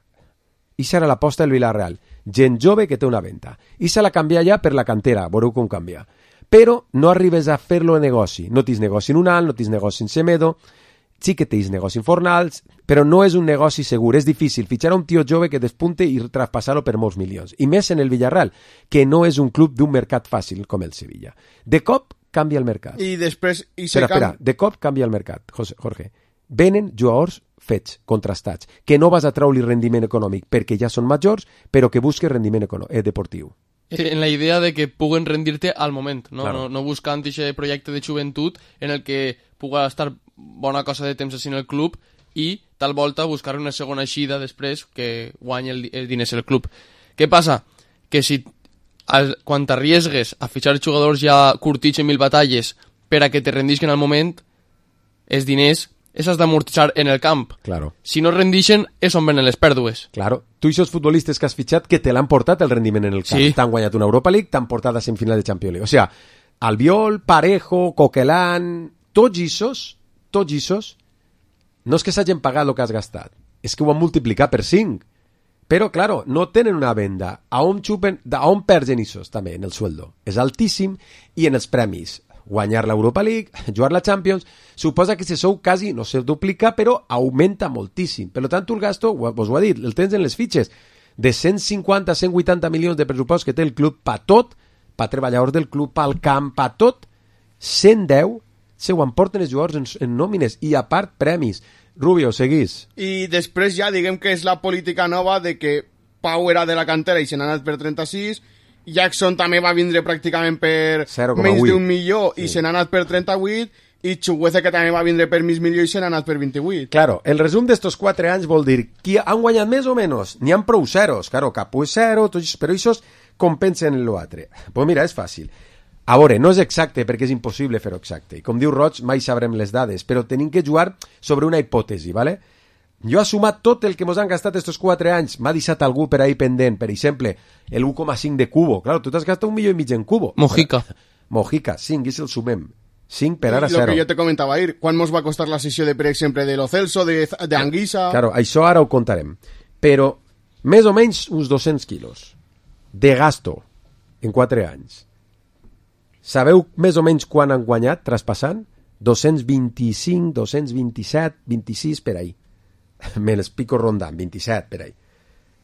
I serà l'aposta del Villarreal. Gent jove que té una venta. I se la canvia ja per la cantera, veureu com canvia. Però no arribes a fer-lo en negoci. No tens negoci en Unal, no tens negoci en Semedo, sí que tens negoci en Fornals, però no és un negoci segur. És difícil fitxar un tio jove que despunte i traspassar-lo per molts milions. I més en el Villarreal, que no és un club d'un mercat fàcil com el Sevilla. De cop canvia el mercat. I després... I espera, espera, de cop canvia el mercat, Jorge. Venen jugadors fets, contrastats, que no vas a treure rendiment econòmic perquè ja són majors, però que busques rendiment eh, deportiu. En la idea de que puguen rendir-te al moment, no, claro. no, no buscant aquest projecte de joventut en el que puga estar bona cosa de temps així en el club i tal volta buscar una segona eixida després que guanyi el, el diners el club. Què passa? Que si al, quan t'arriesgues a fitxar jugadors ja curtits en mil batalles per a que te rendisquen al moment, els diners és has d'amortitzar en el camp. Claro. Si no rendixen, és on venen les pèrdues. Claro. Tu i els futbolistes que has fitxat que te l'han portat el rendiment en el camp. Sí. T'han guanyat una Europa League, t'han portat a semifinal de Champions League. O sea, Albiol, Parejo, Coquelin, tots issos, tots issos, no és que s'hagin pagat el que has gastat, és que ho han multiplicat per cinc. Però, claro, no tenen una venda. A on, xupen, a on perden issos, també, en el sueldo? És altíssim, i en els premis. Guanyar l'Europa League, jugar la Champions, suposa que se sou quasi, no se duplica, però augmenta moltíssim. Per tant, tu el gasto, vos ho ha dit, el tens en les fitxes, de cent cinquanta a cent vuitanta milions de pressupost que té el club pa tot, pa treballadors del club, pa al camp, pa tot, cent deu se ho emporten els jugadors en, en nòmines, i a part premis. Rubio, seguís. I després ja diguem que és la política nova de que Pau era de la cantera i se n'ha anat per trenta-sis, Jackson també va vindre pràcticament per menys d'un milió sí. i se n'ha anat per trenta-vuit, i Chukwueze que també va vindre per mig milió i se n'ha anat per vint-i-vuit. Claro, el resum d'estos quatre anys vol dir qui han guanyat més o menys, n'hi ha prou zeros, claro, Capu és zero, tots, però aquests compensen l'altre. Pues mira, és fàcil. A veure, no és exacte perquè és impossible fer-ho exacte, i com diu Roig, mai sabrem les dades, però tenim que jugar sobre una hipòtesi, ¿vale? Jo he sumat tot el que mos han gastat estos quatre anys, m'ha deixat algú per ahí pendent, per exemple, el u coma cinc de Cubo, claro, tu t'has gastat un milió i mig en Cubo. Mojica. Mojica, cinc, i si el sumem. cinc per ara zero. Lo que jo te comentava ahir, quan mos va costar la sessió de, per exemple, de Lo Celso, de, de Anguissa... Claro, això ara ho contarem. Però, més o menys, uns dos-cents quilos de gasto en quatre anys. Sabeu més o menys quan han guanyat, traspassant? dos-cents vint-i-cinc, dos-cents vint-i-set, vint-i-sis, per ahí. Me les pico rondant, vint-i-set, per ahí.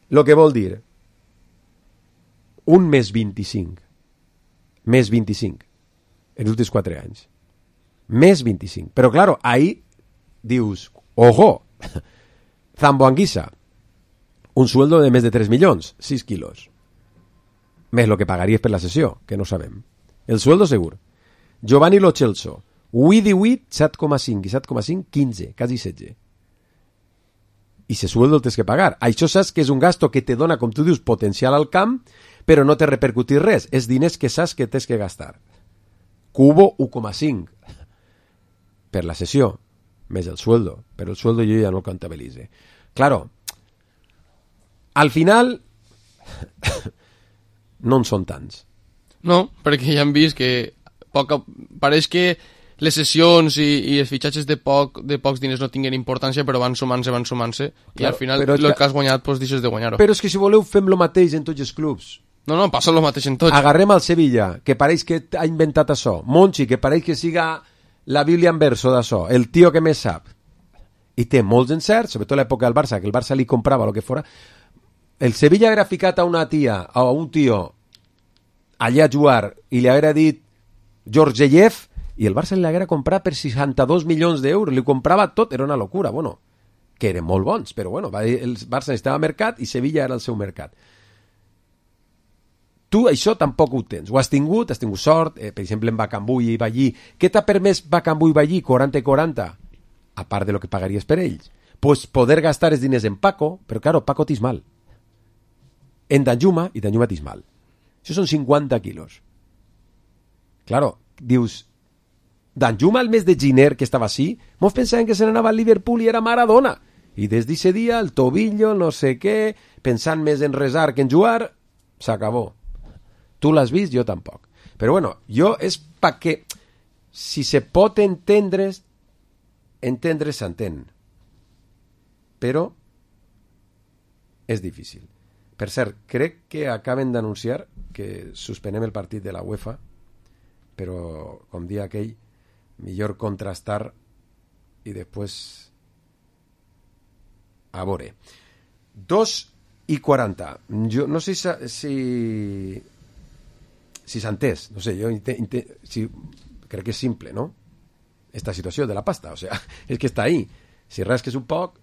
Lo que vol dir, un més vint-i-cinc, més vint-i-cinc, en els últims quatre anys. Més vint-i-cinc. Però, claro, ahí dius, ojo, Zambo Anguissa, un sueldo de més de tres milions, sis quilos. Més lo que pagaries per la sessió, que no sabem. El sueldo segur. Giovanni Lo Celso, huit divuit, set coma cinc, i set coma cinc, quinze, quasi setze. I ese sueldo el tens que pagar. Això saps que és un gasto que te dona, com tu dius, potencial al camp, però no te repercutir res. És diners que saps que tens que gastar. Cubo, u coma cinc. Per la sessió, més el sueldo. Però el sueldo jo ja no el comptabilitze. Claro, al final no en són tants. No, perquè ja hem vist que poc, pareix que les sessions i, i els fitxatges de, poc, de pocs diners no tinguen importància, però van sumant-se, van sumant-se, claro, i al final el que, que has guanyat pues, deixes de guanyar-ho. Però és que si voleu fem lo mateix en tots els clubs. No, no, passa el mateix en tots. Agarrem al Sevilla, que pareix que ha inventat això. Monchi, que pareix que siga la Bíblia en verso d'això. El tio que més sap. I té molts encerts, sobretot l'època del Barça, que el Barça li comprava el que fora. El Sevilla haguera ficat a una tia, a un tio, allà a jugar, i li haguera dit Georgiev, i el Barça li haguera comprat per seixanta-dos milions d'euros. Li comprava tot, era una locura. Bueno, que eren molt bons, però bueno, el Barça estava mercat i Sevilla era el seu mercat. Tu això tampoc ho tens. Ho has tingut, has tingut sort, eh, per exemple en Bakambu i Ballí. Què t'ha permès Bakambu i Ballí, quaranta i quaranta? A part de lo que pagaries per ells. Pues poder gastar els diners en Paco, però claro, Paco t'és mal. En Danjuma, i Danjuma t'és mal. Això són cinquanta quilos. Claro, dius, Danjuma el mes de gener que estava així, mos pensaven que se n'anava al Liverpool i era Maradona. I des d'aquest dia, el tobillo, no sé què, pensant més en resar que en jugar, s'acabó. Tu l'has vist, jo tampoc. Però bueno, jo és perquè si se pot entendre, entendre s'entén. Però és difícil. Per cert, crec que acaben d'anunciar que suspenem el partit de la UEFA, però, com dia aquell, millor contrastar i després a veure. dos i quaranta. Jo no sé si si s'ha entès, no sé, jo intent, intent, si, crec que és simple, no? Esta situació de la pasta, o sea, és que està ahí. Si rasques un poc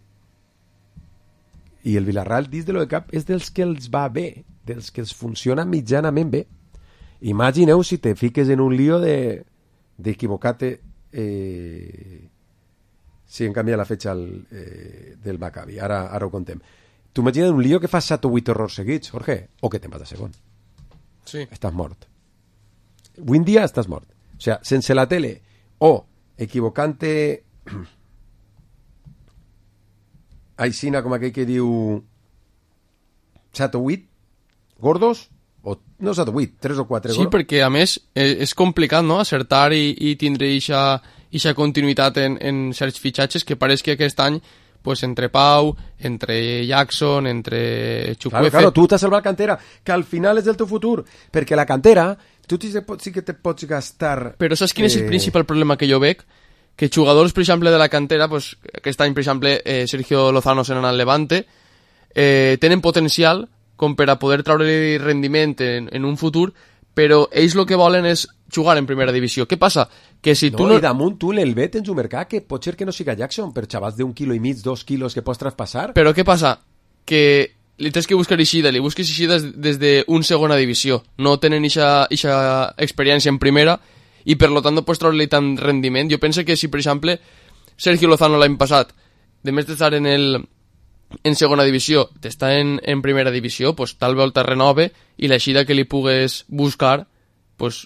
i el Villarreal dins de lo de cap és dels que els va bé, dels que els funciona mitjanament bé. Imagineu si te fiques en un lío de d'equivocate eh, si en canvia la fetxa el, eh, del Maccabi. Ara, ara ho contem. Tu imagina't un lío que fas set o vuit errors seguits, Jorge, o que te'n vas a segon. Sí. Estàs mort. Avui en dia estàs mort. O sea, sense la tele o equivocant-te aixina com aquell que diu set o vuit gordos, o no set o vuit, tres o quatre sí, gordos. perquè a més és complicat, no?, acertar i, i tindre eixa, eixa continuïtat en, en certs fitxatges que pareix que aquest any pues entre Pau, entre Jackson, entre Chukwueze... Claro, claro, tu t'has salvat cantera, que al final és el teu futur, perquè la cantera, tu sí que te pots gastar... Però saps quin eh... és el principal problema que jo veig? Que jugadors, per exemple, de la cantera, pues, aquest any, per exemple, eh, Sergio Lozano se n'ha al Levante, eh, tenen potencial com per a poder treure rendiment en, en un futur, però ells el que volen és jugar en primera divisió. Què passa? Que si no, tu no... I damunt tu l'Elvet tens un mercat que pot ser que no siga Jackson, per xavals d'un quilo i mig, dos quilos que pots traspassar. Però què passa? Que li tens que buscar eixida, li busques eixida des d'un segona divisió. No tenen eixa experiència en primera i per lo tant no pots treure-li tant rendiment. Jo penso que si, per exemple, Sergio Lozano l'any passat, de més d'estar en el en segona divisió, t'està en, en primera divisió, pues, tal volta renove i l'eixida que li pugues buscar, pues,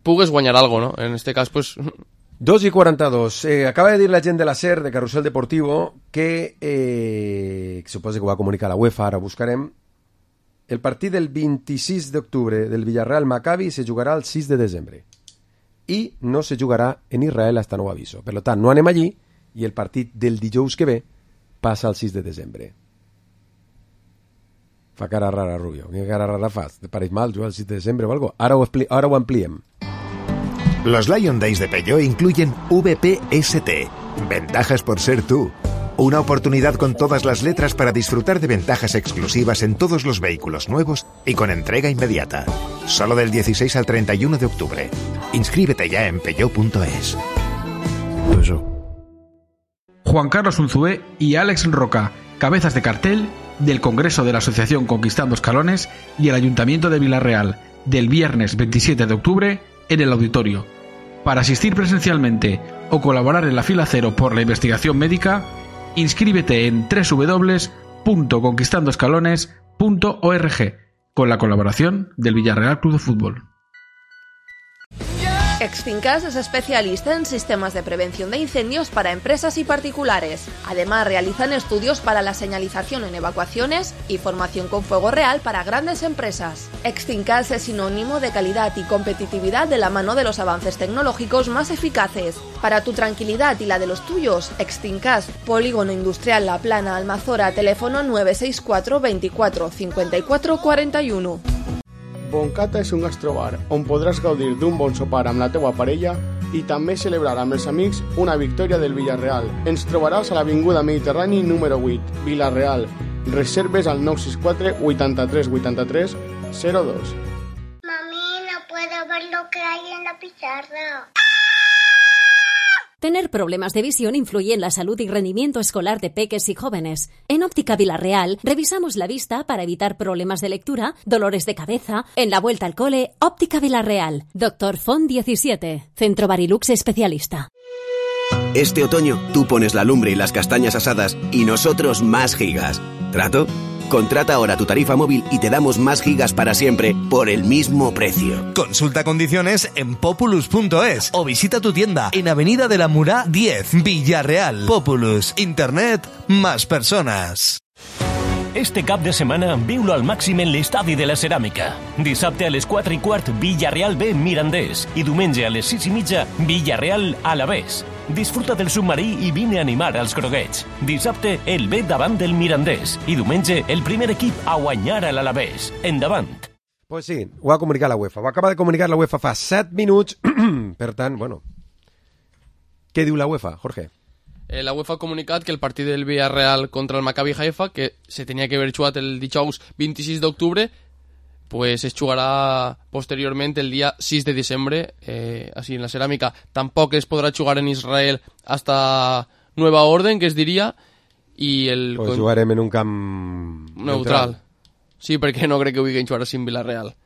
pugues guanyar algo, no? En este cas, pues... dos i quaranta-dos. Eh, acaba de dir la gent de la SER, de Carrusel Deportivo, que, eh, que suposa que ho va comunicar la UEFA, ara buscarem, el partit del vint-i-sis d'octubre del Villarreal Maccabi se jugarà el sis de desembre i no se jugarà en Israel hasta nou aviso. Per tant, no anem allí i el partit del dijous que ve passa el sis de desembre. Fa cara rara, Rubio. Quina cara rara fas? Te pareix mal jugar el sis de desembre o algo? Ara ho, ara ho ampliem. Los Lion Days de Peugeot incluyen V P S T, ventajas por ser tú. Una oportunidad con todas las letras para disfrutar de ventajas exclusivas en todos los vehículos nuevos y con entrega inmediata. Solo del dieciséis al treinta y uno de octubre. Inscríbete ya en peugeot punto es. Juan Carlos Unzué y Alex Roca, cabezas de cartel del Congreso de la Asociación Conquistando Escalones y el Ayuntamiento de Villarreal, del viernes veintisiete de octubre en el auditorio. Para asistir presencialmente o colaborar en la fila cero por la investigación médica, inscríbete en doble u doble u doble u punto conquistando escalones punto org con la colaboración del Villarreal Club de Fútbol. Exfincas es especialista en sistemas de prevención de incendios para empresas y particulares. Además, realizan estudios para la señalización en evacuaciones y formación con fuego real para grandes empresas. Exfincas es sinónimo de calidad y competitividad de la mano de los avances tecnológicos más eficaces. Para tu tranquilidad y la de los tuyos, Exfincas, Polígono Industrial La Plana, Almazora, teléfono nueve seis cuatro veinticuatro cincuenta y cuatro cuarenta y uno. Boncata és un gastrobar on podràs gaudir d'un bon sopar amb la teua parella i també celebrar amb els amics una victòria del Villarreal. Ens trobaràs a l'Avinguda Mediterrani número vuit, Villarreal. Reserves al nou sis quatre vuitanta-tres vuitanta-tres cero dos. Mami, no puedo ver lo que hay en la pizarra. Tener problemas de visión influye en la salud y rendimiento escolar de peques y jóvenes. En Óptica Villarreal revisamos la vista para evitar problemas de lectura, dolores de cabeza. En la vuelta al cole, Óptica Villarreal. Doctor Font diecisiete. Centro Barilux especialista. Este otoño tú pones la lumbre y las castañas asadas y nosotros más gigas. ¿Trato? Contrata ahora tu tarifa móvil y te damos más gigas para siempre por el mismo precio. Consulta condiciones en populus punto es o visita tu tienda en Avenida de la Murá diez, Villarreal. Populus, internet, más personas. Este cap de setmana viu-lo al màxim en l'Estadi de la Ceràmica. Dissabte a les quatre i quart, Villarreal B Mirandés. I diumenge a les sis i mitja, Villarreal Alavés. Disfruta del submarí i vine a animar als groguets. Dissabte, el B davant del Mirandés. I diumenge, el primer equip a guanyar a l'Alavés. Endavant. Pues sí, ho ha comunicat la UEFA. Ho acaba de comunicar la UEFA fa set minuts. Per tant, bueno... Què diu la UEFA, Jorge? Eh, la UEFA ha comunicat que el partit del Villarreal contra el Maccabi Haifa, que se tenia que haver jugat el dijous vint-i-sis d'octubre, pues es jugarà posteriorment el dia sis de desembre, eh, així en la ceràmica. Tampoc es podrà jugar en Israel hasta nueva orden, que es diria, i el... Pues jugarem en un camp... neutral. neutral. Sí, perquè no crec que vulguin jugar així en Villarreal.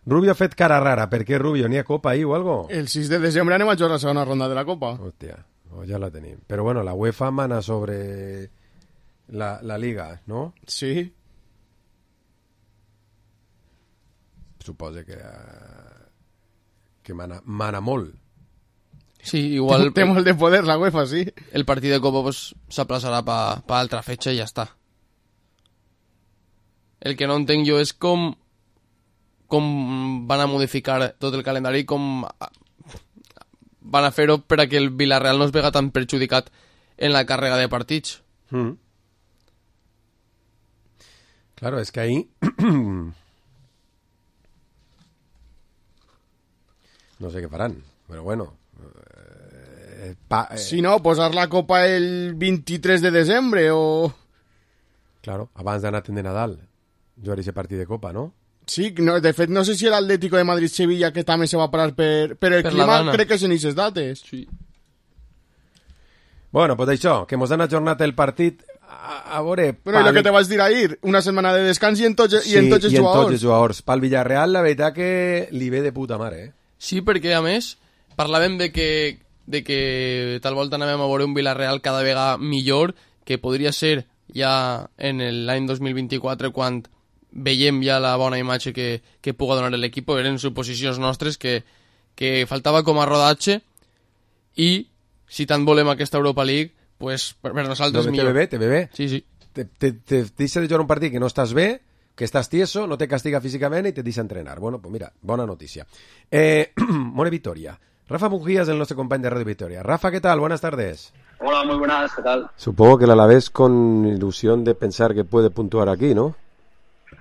Rubio ha fet cara rara. Per què, Rubio? N'hi ha Copa ahí o algo? El sis de desembre anem a jugar la segona ronda de la Copa. Hòstia, oh, ja la tenim. Però bueno, la UEFA mana sobre la, la Liga, no? Sí. Suposa que, uh, que mana, mana molt. Sí, igual... Té molt de poder la UEFA, sí. El partit de Copa pues, s'aplaçarà per pa, pa altra fetxa i ja està. El que no entenc jo és com com van a modificar tot el calendari, com van a fer-ho per a que el Villarreal no es vega tan perjudicat en la càrrega de partits. Mm. Claro, es que ahí... no sé qué farán, pero bueno... Eh, pa, eh. Si no, posar la copa el vint-i-tres de desembre o... Claro, abans d'anar de Nadal, jugar ese partit de copa, no? Sí, no, de fet, no sé si el Atlético de Madrid-Sevilla que també se va parar per, per el per clima, crec que és en aquestes dates. Sí. Bueno, pues això, que mos han ajornat el partit a, a veure... Bueno, pal... i el que te vas dir ahir, una setmana de descans i en tots, sí, i en tots els jugadors. Sí, i en tots els jugadors. Pel Villarreal, la veritat que li ve de puta mare, eh? Sí, perquè, a més, parlàvem de que, de que tal volta anàvem a veure un Villarreal cada vegada millor, que podria ser ja en l'any dos mil vint-i-quatre, quan veiem ja la bona imatge que, que puga donar l'equip. Eren suposicions nostres que, que faltava com a rodatge, i si tant volem aquesta Europa League, pues per, per nosaltres no, millor. Te ve bé, te ve bé. Sí, sí. Te, te, te deixa de jugar un partit que no estàs bé, que estàs tieso, no te castiga físicament i te deixa entrenar. Bueno, pues mira, bona notícia. Eh, bona victòria. Rafa Mujías, el nostre company de Radio Victoria. Rafa, ¿qué tal? Buenas tardes. Hola, muy buenas, ¿qué tal? Supongo que el Alavés con ilusión de pensar que puede puntuar aquí, ¿no?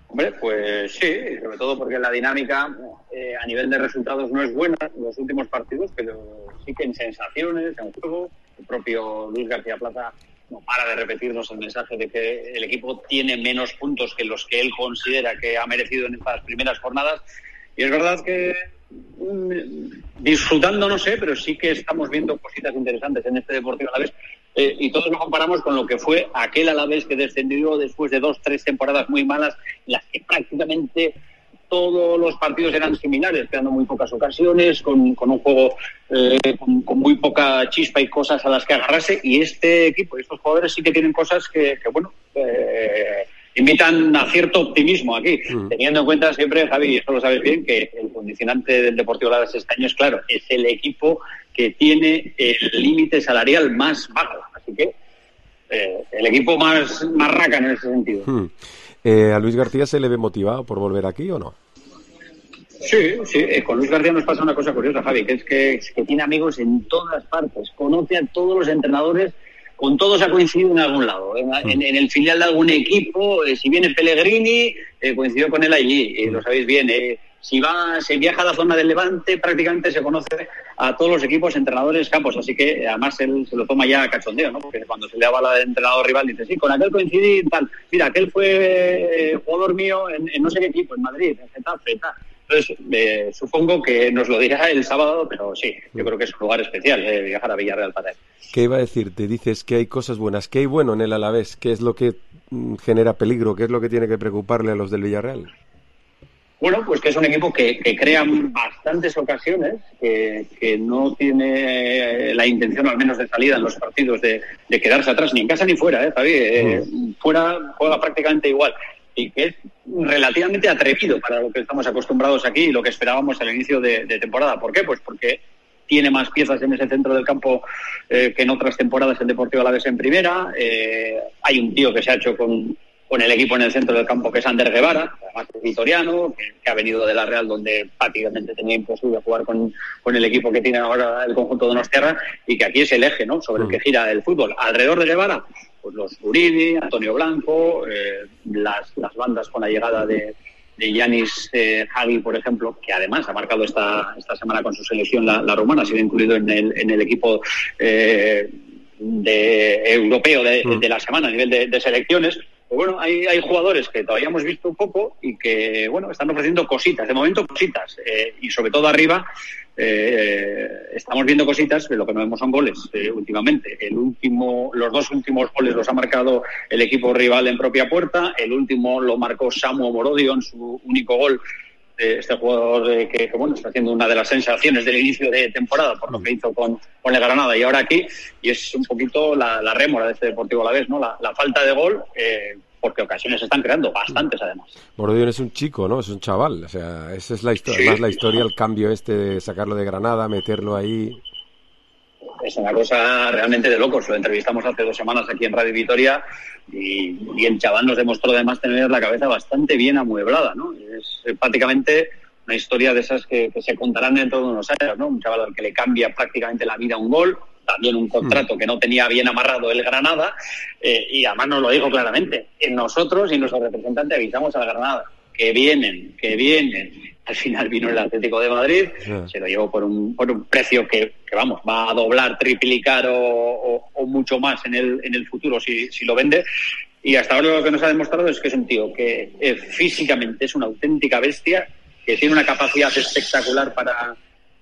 Hombre, pues sí, sobre todo porque la dinámica eh, a nivel de resultados no es buena en los últimos partidos, pero sí que en sensaciones, en juego, el propio Luis García Plaza no para de repetirnos el mensaje de que el equipo tiene menos puntos que los que él considera que ha merecido en estas primeras jornadas, y es verdad que mm, disfrutando no sé, pero sí que estamos viendo cositas interesantes en este Deportivo Alavés. Eh, y todos lo comparamos con lo que fue aquel Alavés que descendió después de dos, tres temporadas muy malas, en las que prácticamente todos los partidos eran similares, quedando muy pocas ocasiones, con, con un juego eh, con, con muy poca chispa y cosas a las que agarrarse. Y este equipo, estos jugadores sí que tienen cosas que, que bueno, eh, invitan a cierto optimismo aquí, mm. teniendo en cuenta siempre, Javi, y eso lo sabes bien, que el condicionante del Deportivo Alavés este año es claro, es el equipo que tiene el límite salarial más bajo, así que eh, el equipo más, más raca en ese sentido. Hmm. Eh, ¿A Luis García se le ve motivado por volver aquí o no? Sí, sí, eh, con Luis García nos pasa una cosa curiosa, Javi, que es que, es que tiene amigos en todas partes, conoce a todos los entrenadores, con todos ha coincidido en algún lado, en, en, en el filial de algún equipo, eh, si viene Pellegrini, eh, coincidió con él allí, eh, lo sabéis bien, eh, si va, se viaja a la zona del Levante, prácticamente se conoce a todos los equipos, entrenadores, campos, así que además él se lo toma ya a cachondeo, ¿no? Porque cuando se le avala al entrenador rival dice, sí, con aquel coincidí tal, mira, aquel fue eh, jugador mío en, en no sé qué equipo, en Madrid, en Getafe, tal. Entonces, eh, supongo que nos lo dirá el sábado, pero sí, yo creo que es un lugar especial eh, viajar a Villarreal para él. ¿Qué iba a decir? Te dices que hay cosas buenas. ¿Qué hay bueno en el Alavés? ¿Qué es lo que mm, genera peligro? ¿Qué es lo que tiene que preocuparle a los del Villarreal? Bueno, pues que es un equipo que, que crea bastantes ocasiones, que, que no tiene la intención, al menos de salida en los partidos, de, de quedarse atrás, ni en casa ni fuera, ¿eh, Javi? Eh, mm. Fuera juega prácticamente igual. Y que es relativamente atrevido para lo que estamos acostumbrados aquí y lo que esperábamos al inicio de, de temporada. ¿Por qué? Pues porque tiene más piezas en ese centro del campo eh, que en otras temporadas el Deportivo Alavés en primera. Eh, hay un tío que se ha hecho con, con el equipo en el centro del campo, que es Ander Guevara, además es vitoriano, que, que ha venido de la Real, donde prácticamente tenía imposible jugar con, con el equipo que tiene ahora el conjunto de Donostiarra, y que aquí es el eje, ¿no?, sobre el que gira el fútbol. Alrededor de Guevara, pues los Uribe, Antonio Blanco, eh, las, las bandas con la llegada de de Yanis eh, Hagi, por ejemplo, que además ha marcado esta, esta semana con su selección la, la rumana, ha sido incluido en el, en el equipo eh, de, europeo de, de la semana a nivel de, de selecciones. Pues bueno, hay, hay jugadores que todavía hemos visto un poco y que, bueno, están ofreciendo cositas, de momento cositas, eh, y sobre todo arriba eh, estamos viendo cositas, pero lo que no vemos son goles eh, últimamente. El último, los dos últimos goles los ha marcado el equipo rival en propia puerta, el último lo marcó Samu Morodio en su único gol, eh, este jugador eh, que, que, bueno, está haciendo una de las sensaciones del inicio de temporada por lo que hizo con, con el Granada y ahora aquí, y es un poquito la, la rémora de este Deportivo Alavés, ¿no? La, la falta de gol, eh, porque ocasiones se están creando, bastantes además. Morodio es un chico, ¿no? Es un chaval, o sea, esa es la historia, sí. Más la historia, el cambio este de sacarlo de Granada, meterlo ahí. Es una cosa realmente de locos. Lo entrevistamos hace dos semanas aquí en Radio Vitoria y, y el chaval nos demostró además tener la cabeza bastante bien amueblada, ¿no? Es prácticamente una historia de esas que, que se contarán dentro de unos años, ¿no? Un chaval al que le cambia prácticamente la vida un gol, también un contrato mm. que no tenía bien amarrado el Granada, eh, y además nos lo dijo claramente. Nosotros y nuestro representante avisamos al Granada que vienen, que vienen. Al final vino el Atlético de Madrid, yeah. se lo llevó por un, por un precio que, que, vamos, va a doblar, triplicar o, o, o mucho más en el, en el futuro si, si lo vende. Y hasta ahora lo que nos ha demostrado es que es un tío que eh, físicamente es una auténtica bestia, que tiene una capacidad espectacular para,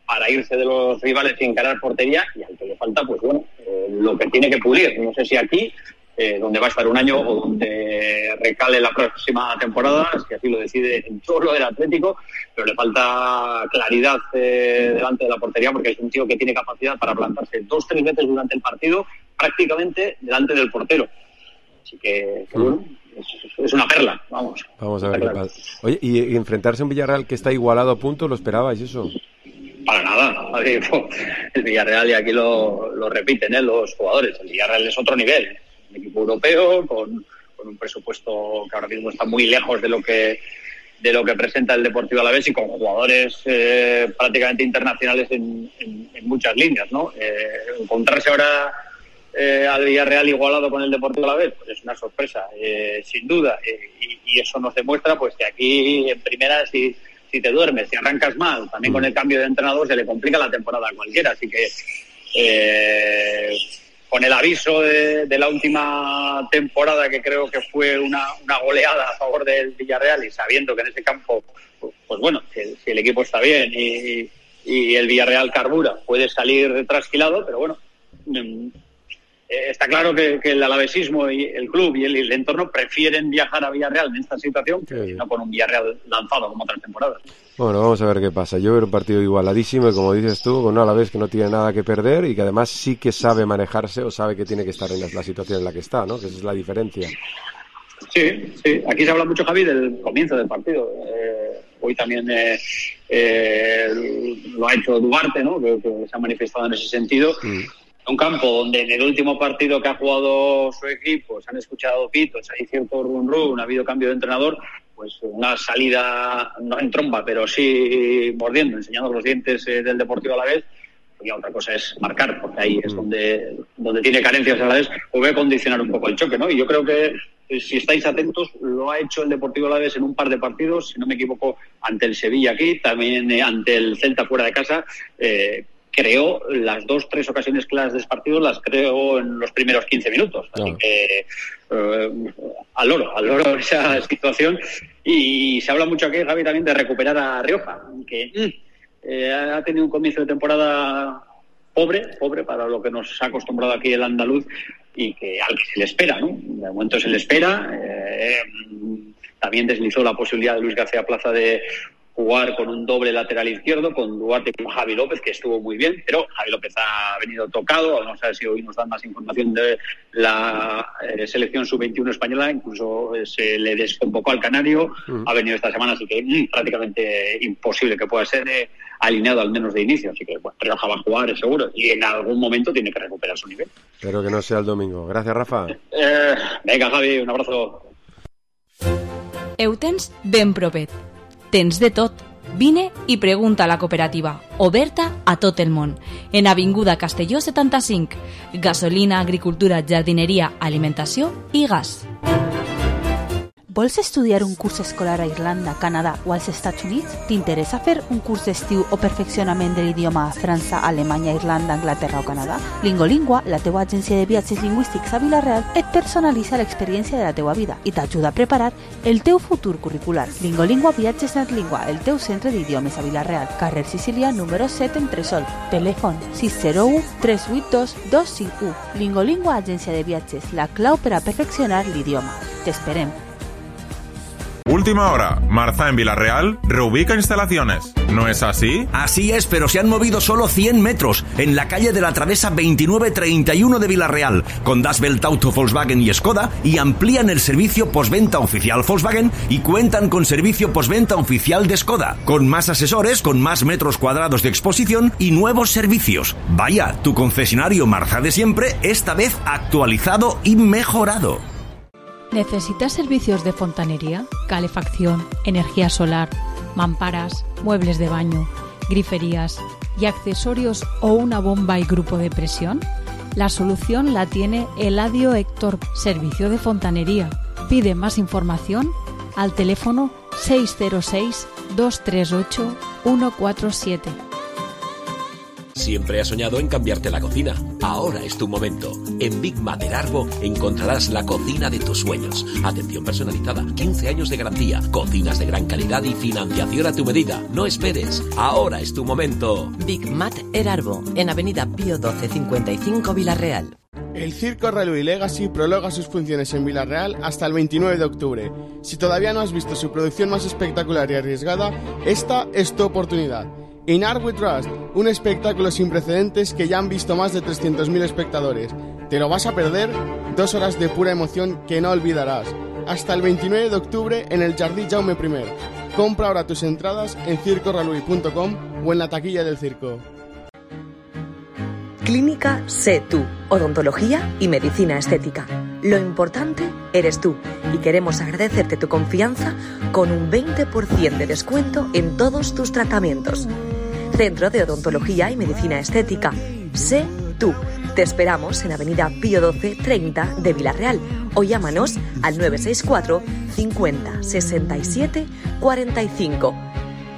para irse de los rivales y encarar portería, y al que le falta, pues bueno, eh, lo que tiene que pulir. No sé si aquí, eh, donde va a estar un año o donde recale la próxima temporada, si así lo decide en todo lo del Atlético, pero le falta claridad eh, delante de la portería, porque es un tío que tiene capacidad para plantarse dos, tres veces durante el partido, prácticamente delante del portero. Así que, que bueno, es, es una perla, vamos. Vamos a ver qué pasa. Oye, ¿y enfrentarse a un Villarreal que está igualado a punto, lo esperabais eso? Para nada. El Villarreal, y aquí lo, lo repiten ¿eh? los jugadores, el Villarreal es otro nivel. Un equipo europeo con, con un presupuesto que ahora mismo está muy lejos de lo que de lo que presenta el Deportivo Alavés, y con jugadores eh, prácticamente internacionales en, en, en muchas líneas, ¿no? Eh, encontrarse ahora eh, al Villarreal igualado con el Deportivo Alavés, pues es una sorpresa, eh, sin duda, eh, y, y eso nos demuestra pues que aquí en primera, si, si te duermes, si arrancas mal, también con el cambio de entrenador se le complica la temporada a cualquiera, así que eh, con el aviso de, de la última temporada, que creo que fue una, una goleada a favor del Villarreal, y sabiendo que en ese campo, pues, pues bueno, si el, si el equipo está bien y, y el Villarreal carbura, puede salir trasquilado, pero bueno, eh, está claro que, que el alavesismo y el club y el, el entorno prefieren viajar a Villarreal en esta situación que no con un Villarreal lanzado como otras temporadas. Bueno, vamos a ver qué pasa. Yo veo un partido igualadísimo y, como dices tú, con un Alavés que no tiene nada que perder y que además sí que sabe manejarse o sabe que tiene que estar en la, la situación en la que está, ¿no? Que esa es la diferencia. Sí, sí. Aquí se habla mucho, Javi, del comienzo del partido. Eh, hoy también eh, eh, lo ha hecho Duarte, ¿no? Que, que se ha manifestado en ese sentido. Mm. Un campo donde en el último partido que ha jugado su equipo se han escuchado pitos, hay cierto run run, ha habido cambio de entrenador, pues una salida, no en tromba, pero sí mordiendo, enseñando los dientes eh, del Deportivo Alavés. Y otra cosa es marcar, porque ahí es donde, donde tiene carencias Alavés, puede condicionar un poco el choque, ¿no? Y yo creo que, si estáis atentos, lo ha hecho el Deportivo Alavés en un par de partidos, si no me equivoco, ante el Sevilla aquí, también eh, ante el Celta fuera de casa. eh, Creó las dos, tres ocasiones claras de partido, las creó en los primeros quince minutos. Así no. que, eh, al loro, al loro esa situación. Y se habla mucho aquí, Javi, también de recuperar a Rioja, que eh, ha tenido un comienzo de temporada pobre, pobre para lo que nos ha acostumbrado aquí el andaluz, y que al que se le espera, ¿no? De momento se le espera. Eh, también deslizó la posibilidad de Luis García Plaza de jugar con un doble lateral izquierdo, con Duarte y con Javi López, que estuvo muy bien, pero Javi López ha venido tocado. No sé si hoy nos dan más información de la eh, selección sub veintiuno española, incluso eh, se le desconvocó al canario, uh-huh. ha venido esta semana, así que mm, prácticamente imposible que pueda ser eh, alineado al menos de inicio, así que bueno, Rioja va a jugar, es seguro, y en algún momento tiene que recuperar su nivel. Espero que no sea el domingo. Gracias, Rafa. Eh, venga, Javi, un abrazo. Eutens ben propet. Tens de tot. Vine i pregunta a la cooperativa, oberta a tot el món. En Avinguda Castelló setanta-cinc. Gasolina, agricultura, jardineria, alimentació i gas. Vols estudiar un curs escolar a Irlanda, Canadà o als Estats Units? T'interessa fer un curs d'estiu o perfeccionament de l'idioma a França, Alemanya, Irlanda, Anglaterra o Canadà? Lingolingua, la teua agència de viatges lingüístics a Vila-real, et personalitza l'experiència de la teua vida i t'ajuda a preparar el teu futur curricular. Lingolingua Viatges Netlingua, el teu centre d'idiomes a Vila-real, carrer Sicília, número set, Entresol. Telèfon sis zero u tres vuit dos dos cinc u. Lingolingua, agència de viatges, la clau per a perfeccionar l'idioma. T'esperem. Última hora, Marza en Vila-real reubica instalaciones. ¿No es así? Así es, pero se han movido solo cien metros en la calle de la Travesa veintinueve treinta y uno de Vila-real, con Das Welt Auto, Volkswagen y Skoda, y amplían el servicio postventa oficial Volkswagen y cuentan con servicio postventa oficial de Skoda, con más asesores, con más metros cuadrados de exposición y nuevos servicios. Vaya, tu concesionario Marza de siempre, esta vez actualizado y mejorado. ¿Necesitas servicios de fontanería, calefacción, energía solar, mamparas, muebles de baño, griferías y accesorios o una bomba y grupo de presión? La solución la tiene Eladio Héctor, servicio de fontanería. Pide más información al teléfono seis cero seis, dos tres ocho, uno cuatro siete. Siempre has soñado en cambiarte la cocina. Ahora es tu momento. En Big Mater Arbo encontrarás la cocina de tus sueños. Atención personalizada, quince años de garantía, cocinas de gran calidad y financiación a tu medida. No esperes. Ahora es tu momento. Big Mater Arbo, en Avenida Pío doce cincuenta y cinco, Villarreal. El Circo Railway Legacy prolonga sus funciones en Villarreal hasta el veintinueve de octubre. Si todavía no has visto su producción más espectacular y arriesgada, esta es tu oportunidad. In Art We Trust, un espectáculo sin precedentes que ya han visto más de trescientos mil espectadores. ¿Te lo vas a perder? Dos horas de pura emoción que no olvidarás. Hasta el veintinueve de octubre en el Jardí Jaume primer. Compra ahora tus entradas en circo railway punto com o en la taquilla del circo. Clínica Sé Tú, odontología y medicina estética. Lo importante eres tú y queremos agradecerte tu confianza con un veinte por ciento de descuento en todos tus tratamientos. Centro de Odontología y Medicina Estética. Sé Tú. Te esperamos en Avenida Pío doce treinta de Villarreal o llámanos al nueve seis cuatro, cincuenta, sesenta y siete, cuarenta y cinco.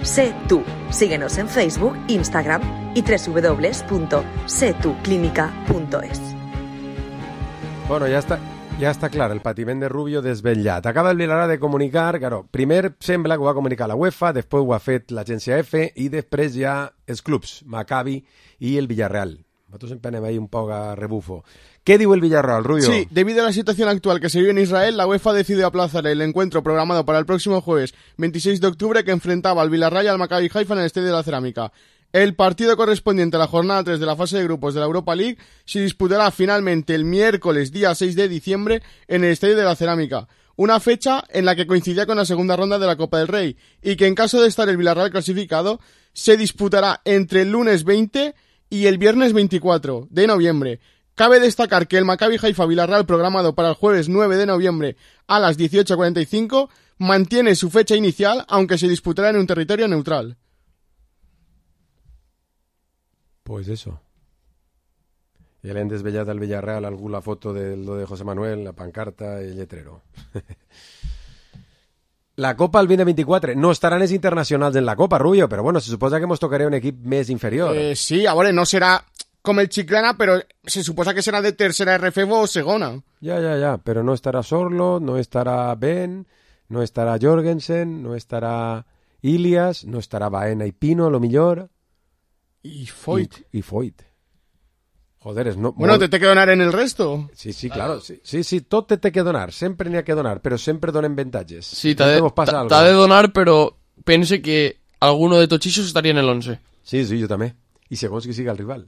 Sé Tú. Síguenos en Facebook, Instagram y doble u doble u doble u punto sé tú clínica punto es. Bueno, ja està, ja està clar, el patiment de Rubio desvetllat. Acaba el Villarreal de comunicar, claro, primer sembla que ho va comunicar la UEFA, després ho ha fet l'agència F i després ja els clubs, Maccabi i el Villarreal. Nosotros siempre anem ahí un poco a rebufo. ¿Qué dijo el Villarreal, Rubio? Sí, debido a la situación actual que se vive en Israel, la UEFA decidió aplazar el encuentro programado para el próximo jueves veintiséis de octubre que enfrentaba al Villarreal y al Maccabi Haifa en el Estadio de la Cerámica. El partido correspondiente a la jornada tres de la fase de grupos de la Europa League se disputará finalmente el miércoles día seis de diciembre en el Estadio de la Cerámica, una fecha en la que coincidía con la segunda ronda de la Copa del Rey y que en caso de estar el Villarreal clasificado se disputará entre el lunes veinte y el viernes veinticuatro de noviembre. Cabe destacar que el Maccabi Haifa Villarreal programado para el jueves nueve de noviembre a las dieciocho cuarenta y cinco mantiene su fecha inicial aunque se disputará en un territorio neutral. Pues eso. Y el hem desvellat al Villarreal algú la foto de lo de José Manuel, la pancarta y el lletrero. La Copa el vint vint-i-quatre. No estaran els internacionals en la Copa, Rubio, però bueno, se suposa que mos tocaré un equip més inferior. Eh, sí, a veure, no serà com el Chiclana, però se suposa que serà de tercera R F o segona. Ja, ja, ja, però no estarà Sorlo, no estarà Ben, no estarà Jorgensen, no estarà Ilias, no estarà Baena i Pino, a lo millor. I Foyt. I, i Foyt. Joder, és no... Bueno, molt... te té que donar en el resto. Sí, sí, claro. Sí, sí, sí, tot te té que donar. Sempre n'hi ha que donar, però sempre donen avantatges. Sí, t'ha de, t'ha de donar, però pense que alguno de tots ixos estaria en el once. Sí, sí, jo també. I segons qui siga el rival.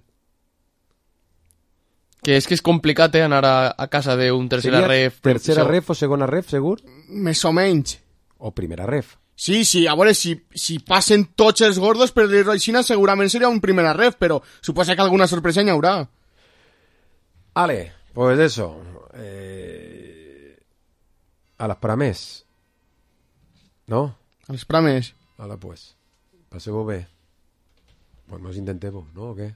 Que és que és complicat, eh, anar a, a casa d'un tercera ref. Tercera ref o segona ref, segur? Més o menys. O primera ref. Sí, sí, a veure, si, si passen tots els gordos per l'Irroixina segurament seria un primera ref, però suposa que alguna sorpresa n'hi haurà. Vale, pues eso. Eh... A las prames. ¿No? A les prames. Hala, pues. Passeu-ho bé. Pues nos intentemos, ¿no? ¿O qué?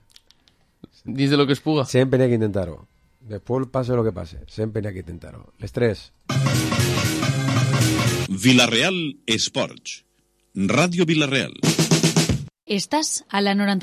Dins de lo que es puga. Sempre n'hi ha que intentar-ho. Después pase lo que pase. Sempre n'hi ha que intentar-ho. Les tres. Villarreal Esports. Radio Villarreal. Estás a la noranta